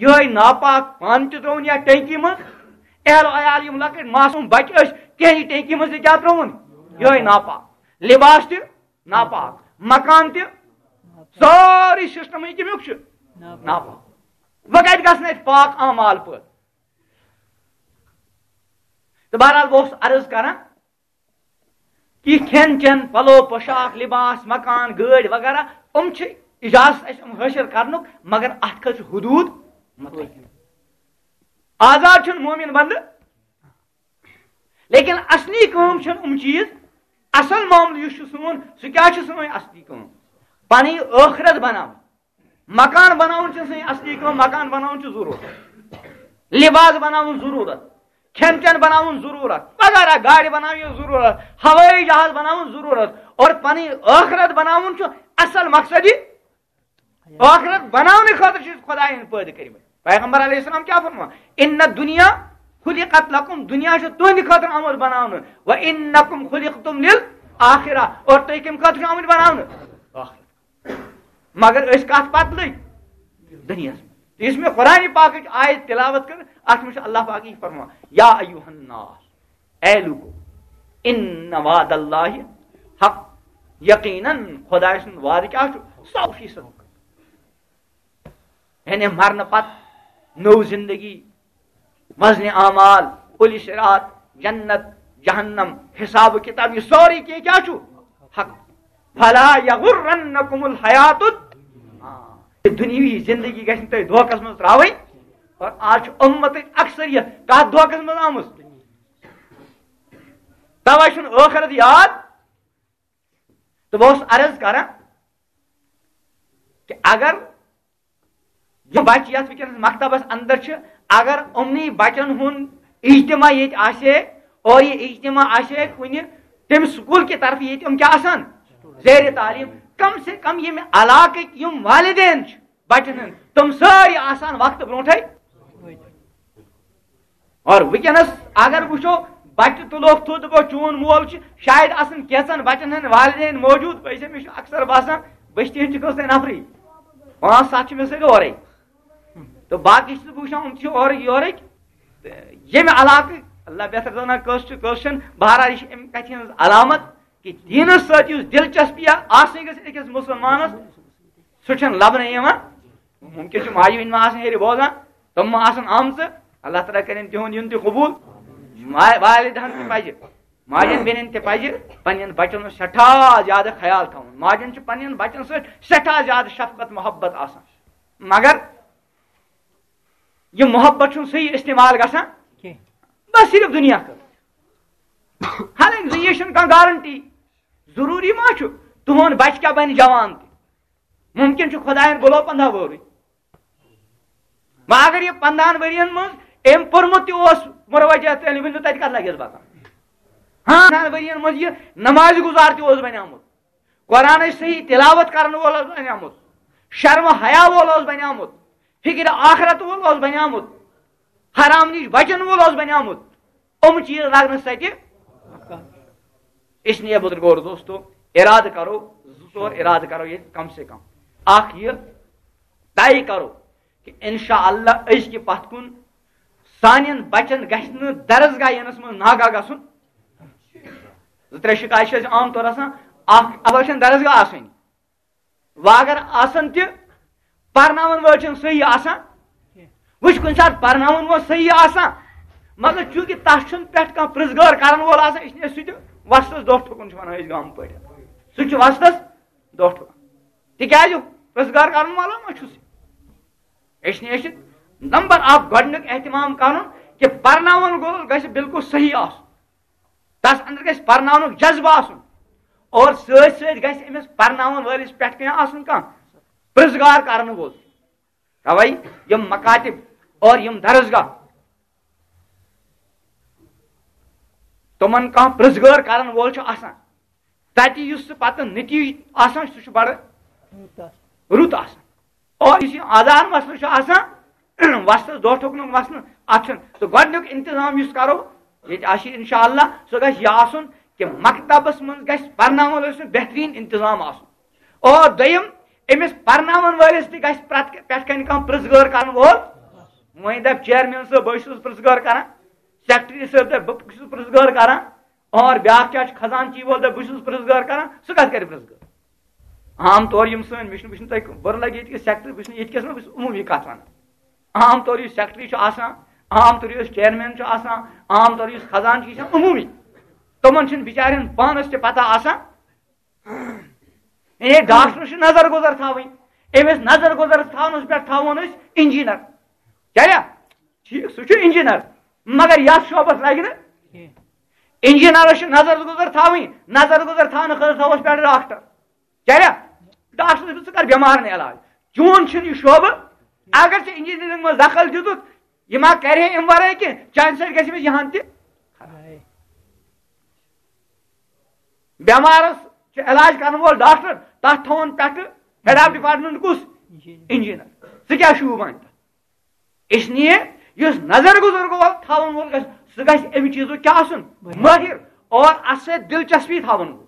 یِہوٚے ناپاک۔ پانہٕ تہِ ترٛووُن یَتھ ٹینکی منٛز، اہل و عیال یِم لۄکٕٹۍ معصوٗم بَچہٕ ٲسۍ، تِہِنٛدِ ٹینکی منٛز تہِ کیٛاہ ترٛووُن؟ یِہوٚے ناپاک۔ لِباس تہِ ناپاک، مکان تہِ، سورُے سسٹمٕے کمیُک چھُ؟ ناپاک۔ وۄنۍ کتہِ گژھن اتہِ پاک اعمال پٲدٕ؟ تہٕ بہرحال بہٕ اوسُس عرض کران کہ کھٮ۪ن چٮ۪ن، پلو پوشاک، لباس، مکان، گٲڑۍ وغیرہ، یِم چھِ اجازت اسہِ یِم حٲصِل کرنُک، مگر اتھ خٲطرٕ چھُ حدود متعین۔ آزاد چھُنہٕ مومن بندٕ، لیکن اصلی کٲم چھنہٕ یِم چیز۔ اصل معاملہٕ یُس چھُ سون، سُہ کیٛاہ چھُ سٲنۍ اصلی کٲم؟ پنٕنۍ ٲخرت بناوٕنۍ۔ مکان بناوُن چھُ سٲنۍ اصلی کٲم، مکان بناوُن چھُ ضروٗرت۔ لباس بناوُن ضروٗرت، کھٮ۪ن چٮ۪ن بناوُن ضروٗرت، وغیرہ، گاڑِ بناوٕنۍ ضروٗرت، ہوٲیی جہاز بناوُن ضروٗرت، اور پنٕنۍ ٲخرت بناوُن چھُ اصل مقصد۔ یہِ ٲخرت بناونہٕ خٲطرٕ چھُ خدایَن پٲدٕ کٔرمٕتۍ۔ پیغمبر علیہ السلام کیٛاہ فرمان؟ "ان الدنیا خلقت لکم"، دنیا چھُ تُہنٛدِ خٲطرٕ آمُت بناونہٕ، "و انکم خلقتم للآخرہ"، اور تُہۍ کَمہِ خٲطرٕ چھِو آمٕتۍ بناونہٕ؟ ٲخرت۔ مگر أسۍ کَتھ پتہٕ لٔگۍ؟ دُنیاہَس منٛز۔ یُس مےٚ قرآن پاکٕچ آیت تلاوت کٔر، اَتھ منٛز چھُ اللہ پاک یہِ فرمان، "یا ایھا الناس"، اے لوٗکو، "ان وعد اللہ حق"، یقیناً خدایہِ سُنٛد وعدٕ کیٛاہ چھُ؟ سو فیصد۔ یعنی مرنہٕ پتہٕ نٔو زندگی، وزن اعمال، پُلہِ صراط، جنت، جہنم، حساب و کتاب، یہِ سورُے کینٛہہ کیٛاہ چھُ؟ حق۔ فلا یغرنکم الحیات ال-، آ، یہِ دُنیاوی زندگی گژھِ نہٕ تۄہہِ دھوکس منٛز ترٛاوٕنۍ۔ اور آز چھُ اُمتٕچ اکثریت کتھ دھوکس منٛز آمٕژ؟ توے چھُنہٕ ٲخرت یاد۔ تہٕ بہٕ اوسُس عرض کران کہ اگر یِم بچہٕ یتھ وٕنکیٚنس مکتبس اندر چھِ، اگر یِمنٕے بچن ہُنٛد اجتماع ییٚتہِ آسہِ ہے اور یہِ اجتماع آسہِ ہے کُنہِ تمہِ سکوٗل کہِ طرفہٕ ییٚتہِ یِم کیٛاہ آسان؟ زیر تعلیٖم۔ کم سے کم ییٚمہِ علاقٕکۍ یِم والدین چھِ بچن ہٕنٛدۍ، تِم سٲری آسان وقتہٕ برونٹھے۔ اور وٕنکیٚنس اگر وٕچھو، بچہٕ تُلوکھ تھوٚد، دپو چون مول چھُ، شاید آسن کینٛژن بچن ہٕنٛدۍ والدین موجود۔ بہٕ چھُس، مےٚ چھُ اکثر باسان بہٕ چھُس تِہنٛدِ کٲنٛسہِ نفرٕے، پانٛژھ ستھ چھِ مےٚ سۭتۍ اورے۔ تہٕ باقٕے چھُس بہٕ وٕچھان، یِم چھِ اورٕکۍ یورٕکۍ۔ تہٕ ییٚمہِ علاقہٕ، اللہ بہتر زانان کٲنٛسہِ چھُ کٲنٛسہِ چھُنہٕ، بہرحال یہِ چھِ امہِ کتھِ ہٕنٛز علامت کہ دینس سۭتۍ یُس دلچسپی آسٕنۍ گژھِ أکِس مسلمانس، سُہ چھُنہٕ لبنہٕ یِوان۔ ممکن چھُ ماجہِ ہٕنٛدۍ ما آسن ہیٚرِ بوزان، تِم ما آسن آمژٕ۔ اللہ تعالیٰ کٔرِن تِہُنٛد یُن تہِ قبوٗل۔ ما-، والدہن تہِ پزِ، ماجن بیٚنٮ۪ن تہِ پزِ پننٮ۪ن بچن ہُنٛد سٮ۪ٹھاہ زیادٕ خیال تھاوُن۔ ماجن چھُ پننٮ۪ن بچن سۭتۍ سٮ۪ٹھاہ زیادٕ شفقت محبت آسان، مگر یہِ محبت چھُنہٕ صحیح استعمال گژھان کینٛہہ۔ بس صرف دُنیا خٲطرٕ۔ حالانکہ دُنیا چھُنہٕ کانٛہہ گارنٹی۔ ضروٗری ما چھُ تُہُنٛد بچہٕ کیٛاہ بنہِ جوان تہِ؟ ممکن چھُ خدایَن بُلو پنٛداہ وُہرٕے۔ وۄنۍ اگر یہِ پنٛداہن ؤرین منٛز أمۍ پوٚرمُت تہِ اوس مروجہ تعلیٖم، ؤنِو تَتہِ کَتھ لَگٮ۪س بَکار؟ ہاں، پنٛداہن ؤرین منٛز یہِ نماز گُزار تہِ اوس بنیومُت، قرآنٕچ صحیح تلاوت کرن وول اوس بنیومُت، شرم حیا وول اوس بنیومُت، فکر آخرت وول اوس بنیومُت، حرام نِش بچن وول اوس بنیومُت۔ یِم چیٖز لگنہٕ سۭتۍ۔ اس لیے بزرگو اور دوستو، ارادٕ کرو، زٕ ژور ارادٕ کرو ییٚتہِ کم سے کم۔ اکھ یہِ طے کرو کہ انشاءاللہ أزکہِ پتھ کُن سانٮ۪ن بچن گژھِ نہٕ درسگاہ یِنس منٛز ناگاہ گژھُن۔ زٕ ترٛےٚ شکایت چھِ اَسہِ عام طور آسان، اکھ، اَتھ چھَنہٕ درسگاہ آسٲنی۔ وۄنۍ اگر آسن تہِ، پرناوَن وٲلۍ چھِنہٕ صحیح آسان۔ وۄنۍ چھُ کُنہِ ساتہٕ پرناوَن وول صحیح آسان، مگر چوٗنٛکہِ تَس چھُنہٕ پٮ۪ٹھ کانٛہہ پرٛژھ گار کَرَن وول آسان، اِسلیے سُہ تہِ وۄستَس دۄہ ٹھُکُن چھُ وَنان أسۍ گامہٕ پٲٹھۍ۔ سُہ تہِ چھُ وۄستَس دۄہ ٹھُکُن۔ تِکیٛازِ پرٛژھ گار کَرَن وول ما چھُ سُہ؟ اِسلیے چھُ نمبر اکھ گۄڈٕنیُک اہتمام کَرُن کہِ پرناوَن وول گژھِ بالکل صحیح آسُن، تَس اندر گژھِ پرناونُک جذبہٕ آسُن، اور سۭتۍ سۭتۍ گژھِ أمِس پرناوَن وٲلِس پٮ۪ٹھ کینٛہہ آسُن، کانٛہہ پرٛژھ گار کَرَن وول۔ تَوَے یِم مکاتب اور یِم درسگاہ، تِمَن کانٛہہ پرٛژھ گار کَرَن وول چھُ آسان، تَتہِ یُس سُہ پَتہٕ نتیٖجہٕ آسان، سُہ چھُ بَڑٕ رُت آسان۔ اور یُس یہِ آزار مسلہٕ چھُ آسان، وۄستَس دۄہ ٹھُکنُک مسلہٕ، اَتھ چھُنہٕ۔ تہٕ گۄڈٕنیُک انتظام یُس کَرو ییٚتہِ آسہِ، اِنشاءاللہ، سُہ گژھِ یہِ آسُن کہِ مکتبَس منٛز گژھِ پرناوَن وٲلِس سُنٛد بہتریٖن انتظام آسُن۔ اور دوٚیِم، أمِس پرناوَن وٲلِس تہِ گژھِ پرٛٮ۪تھ، پٮ۪ٹھ کَنہِ کانٛہہ پرٛژھ گار کَرَن وول۔ وۄنۍ دَپہِ چیئرمین صٲب، بہٕ چھُس پرٛژھ گار کَران، سیکرٹری صٲب دَپہِ، بہٕ چھُس پرٛژھ گار کَران، اور بیٛاکھ کیٛاہ چھُ، خزانچی وول دَپہِ، بہٕ چھُس پرٛژھ گار کَران، سُہ کَتھ کَرِ پرٛژھ گار؟ عام طور یِم سٲنۍ، مےٚ چھُنہٕ، بہٕ چھُس نہٕ تۄہہِ بُرٕ لَگہِ ییٚتہِ کہِ سیکرٹری، بہٕ چھُس نہٕ ییٚتہِ کِس نہٕ، بہٕ چھُس عموٗمی کَتھ وَنان۔ عام طور یُس سیکرٹری چھُ آسان، عام طور یُس چیئرمین چھُ آسان، عام طور یُس خزانچی چھُ آسان، عموٗمی، تِمَن چھُنہٕ بِچارٮ۪ن پانَس تہِ پَتہ آسان۔ یعنی ڈاکٹرَس چھِ نظر گُزر تھاوٕنۍ، أمِس نظر گُزر تھاونَس پٮ۪ٹھ تھاوون أسۍ انجینئر۔ چلیا؟ ٹھیٖک، سُہ چھُ انجینئر، مگر یَتھ شعبَس لَگہِ نہٕ کینٛہہ۔ انجینئرَس چھِ نظر گُزر تھاوٕنۍ، نظر گُزر تھاونہٕ خٲطرٕ تھاووس پٮ۪ٹھ ڈاکٹر۔ چلیا؟ ڈاکٹر صٲب، ژٕ کر بٮ۪مارَن علاج۔ چون چھُنہٕ یہِ شعبہٕ۔ اگر ژےٚ انجینئرنگ منٛز دخل دیُتُتھ، یہِ ما کرِ ہے اَمہِ ورٲے کینٛہہ؟ چانہِ سۭتۍ گژھِ أمِس یِہَن تہِ۔ بٮ۪مارَس چھُ علاج کرن وول ڈاکٹر، تَتھ تھاوُن پٮ۪ٹھٕ ہیڈ آف ڈپارٹمنٹ کُس؟ انجینئر۔ ژٕ کیٛاہ شوٗب اَنہِ تَتھ؟ اس لیے یُس نظر گُزر گوٚو تھاوَن وول گژھِ، سُہ گژھِ اَمہِ چیٖزُک کیٛاہ آسُن؟ مٲہِر۔ اور اَتھ سۭتۍ دلچسپی تھاوَن وول۔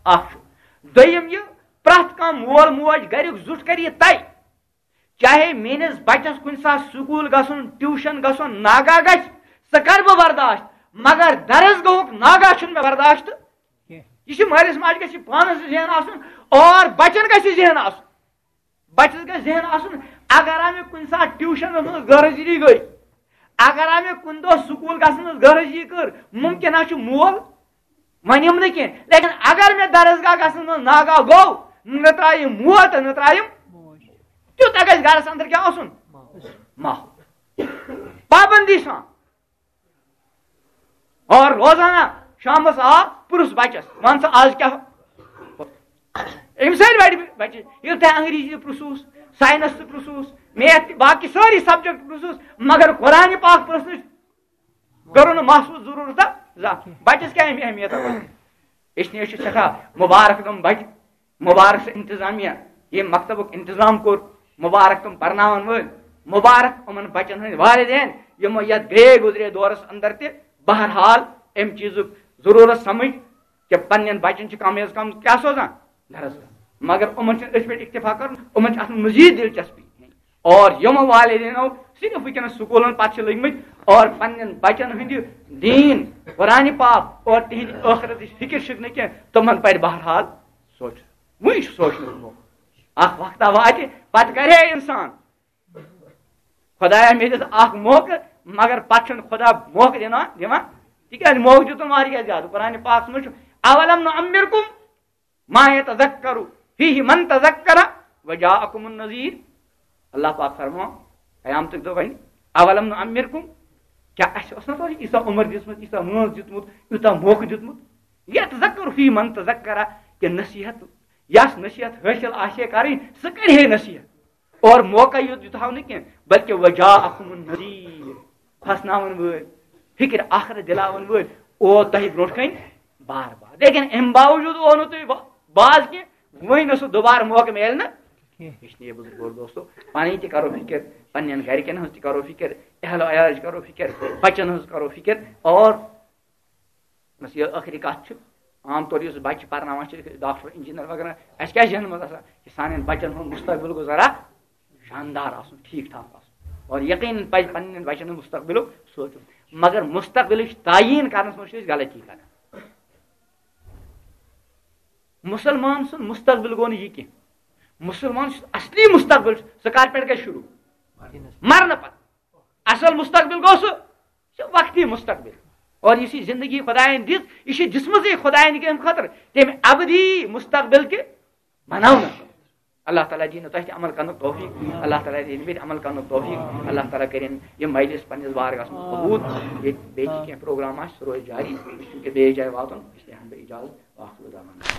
اکھ چھُ۔ دوٚیِم یہِ، پرٛٮ۪تھ کانٛہہ مول موج گَریُک زیُٹھ کَرِ یہِ طے، چاہے میٛٲنِس بَچَس کُنہِ ساتہٕ سکوٗل گژھُن، ٹیوٗشَن گژھُن ناگہٕ گژھِ، سُہ کَرٕ بہٕ برداشت، مگر درسگاہُک ناگہٕ چھُنہٕ مےٚ برداشت۔ یہِ چھُ مٲلِس ماجہِ گژھِ پانَس ذہن آسُن اور بَچَن گژھِ ذہن آسُن۔ بَچَس گژھِ ذہن آسُن، اگر آ مےٚ کُنہِ ساتہٕ ٹیوٗشَنَس منٛز غٲر حٲضِری گٔے، اگر آ مےٚ کُنہِ دۄہ سکوٗل گژھنَس غٲر حٲضِری کٔر، مُمکِن ہا چھُ مول وَنیُم نہٕ کینٛہہ، لیکن اگر مےٚ درسگاہ گژھنَس منٛز ناگہٕ گوٚو، نہ ترٛایہِ مول تہٕ نہ ترٛایہِ، تیوٗتاہ گژھِ گَرَس اَندَر کیٛاہ آسُن؟ ماحول۔ پابندی سان۔ اور روزانہ شامس آو، پرُژھ بچس، "وَن سا آز کیٛاہ؟" أمۍ سۭتۍ بڑِ بچہِ، ییٚلہِ تۄہہِ انگریزی پرُژھوس، ساینس تہِ پرُژھوس، میتھ تہِ، باقی سٲری سبجیکٹ پرُژھوس، مگر قرآن پاک پرُژھنٕچ کٔرٕو نہٕ محسوس ضروٗرت زانٛہہ۔ بچس کیٛاہ اہمیت؟ اس لیے چھِ سٮ۪ٹھاہ مُبارک تِم بچہِ، مُبارک سُہ انتظامیہ، ییٚمۍ مکتبُک انتظام کوٚر، مُبارک تِم پرناون وٲلۍ، مُبارک یِمن بچن ہٕنٛدۍ والدین، یِمو یتھ گرے گُزرے دورس اندر تہِ بہرحال امہِ چیٖزُک ضروٗرت سمجھ کہِ پننٮ۪ن بچن چھِ کم از کم کیٛاہ سوزان؟ درس۔ مگر یِمن چھُنہٕ أتھۍ پٮ۪ٹھ اکتفا کرُن، یِمن چھُ اتھ منٛز مزید دلچسپی۔ اور یِم والدینو صرف وٕنکیٚنس سکوٗلن پتہٕ چھِ لٔگۍ مٕتۍ اور پننٮ۪ن بچن ہٕنٛدِ دیٖن، قرآنِ پاک اور تِہنٛدِ ٲخرتٕچ فکر چھِکھ نہٕ کینٛہہ، تِمن پرِ بہرحال سونٛچُن۔ وٕنہِ چھُ سونٛچنُک موقعہٕ۔ اکھ وقتہ واتہِ، پتہٕ کرِ ہے انسان، "خدایا، مےٚ دِژ اکھ موقعہٕ، مگر پتہٕ چھُنہٕ خدا موقعہٕ دِوان، دِوان، تِکیٛازِ موقعہٕ دیُتُن واریاہ زیادٕ۔" قرآنِ پاکس منٛز چھُ، "اولم نعمرکم ما یتذکر فیہ من تذکر وجاءکم النذیر۔" اللہ پاک فرماوان قیامتُک دۄہ وَنہِ، "اولم نعمرکم، کیٛاہ اَسہِ اوس نہ تۄہہِ ییٖژاہ عمر دِژمٕژ، ییٖژاہ وٲنٛس دیُتمُت، یوٗتاہ موقعہٕ دیُتمُت؟ یتذکر فیہ من تذکر، کہ نصیحت، یس نصیحت حٲصِل آسہِ ہے کرٕنۍ، سُہ کرِ ہے نصیحت۔ اور موقعہٕ یوت دیُت ہاو نہٕ کینٛہہ، بلکہ وجاءکم النذیر، کھوژناون وٲلۍ، فکر آخرت دِلاون وٲلۍ، او تۄہہِ برونٛٹھ کنہِ بار بار۔ لیکن امہِ باوجود او نہٕ تُہۍ با-، باز کینٛہہ، وۄنۍ نہٕ سُہ دوبارٕ موقعہٕ میلہِ نہٕ کینٛہہ۔ اس لیے بزرگو اور دوستو، پنٕنۍ تہِ کرو فکر، پننٮ۪ن گرِکٮ۪ن ہٕنٛز تہِ کرو فکر، اہل و عیالٕچ کرو فکر، بچن ہٕنٛز کرو فکر، اور بس یہِ ٲخری کتھ چھِ، عام طور یُس بچہِ پرناوان چھِ، ڈاکٹر، انجینئر وغیرہ، اَسہِ کیٛاہ ذہنہٕ منٛز آسان کہِ سانٮ۪ن بچن ہُنٛد مستقبل گوٚژھ ذرا شاندار آسُن، ٹھیٖک ٹھاک آسُن۔ اور یقیناً پزِ پننٮ۪ن بچن ہُنٛد مستقبلُک سونٛچُن۔ مگر مستقبلٕچ تعیٖن کرنس منٛز چھِ أسۍ غلطی کران۔ مُسلمان سُنٛد مستقبل گوٚو نہٕ یہِ کینٛہہ۔ مسلمان سُنٛد اصلی مستقبل چھُ، سُہ کر پٮ۪ٹھ گژھِ شروع؟ مرنہٕ پتہٕ۔ اصل مستقبل گوٚو سُہ، سُہ وقتی مستقبل۔ اور یُس یہِ زندگی خدایَن دِژ، یہِ چھِ دِژمٕژٕے خدایَن کَمہِ خٲطرٕ؟ تَمہِ ابدی مستقبل کہِ بناونہٕ خٲطرٕ۔ اللہ تعالیٰ دِیِن تۄہہِ تہِ عمل کرنُک توفیق، اللہ تعالیٰ دِیِن مےٚ تہِ عمل کرنُک توفیق، اللہ تعالیٰ کٔرِن یہِ مجلس پننِس بارگاہَس منٛز قبول۔ ییٚتہِ بیٚیہِ تہِ کینٛہہ پروگرام آسہِ، سُہ روزِ جاری، أسۍ چھِ وٕنکیٚس بیٚیِس جایہِ واتُن، أسۍ تہِ ہٮ۪مہٕ بہٕ اجازت، وآخر دعوانا۔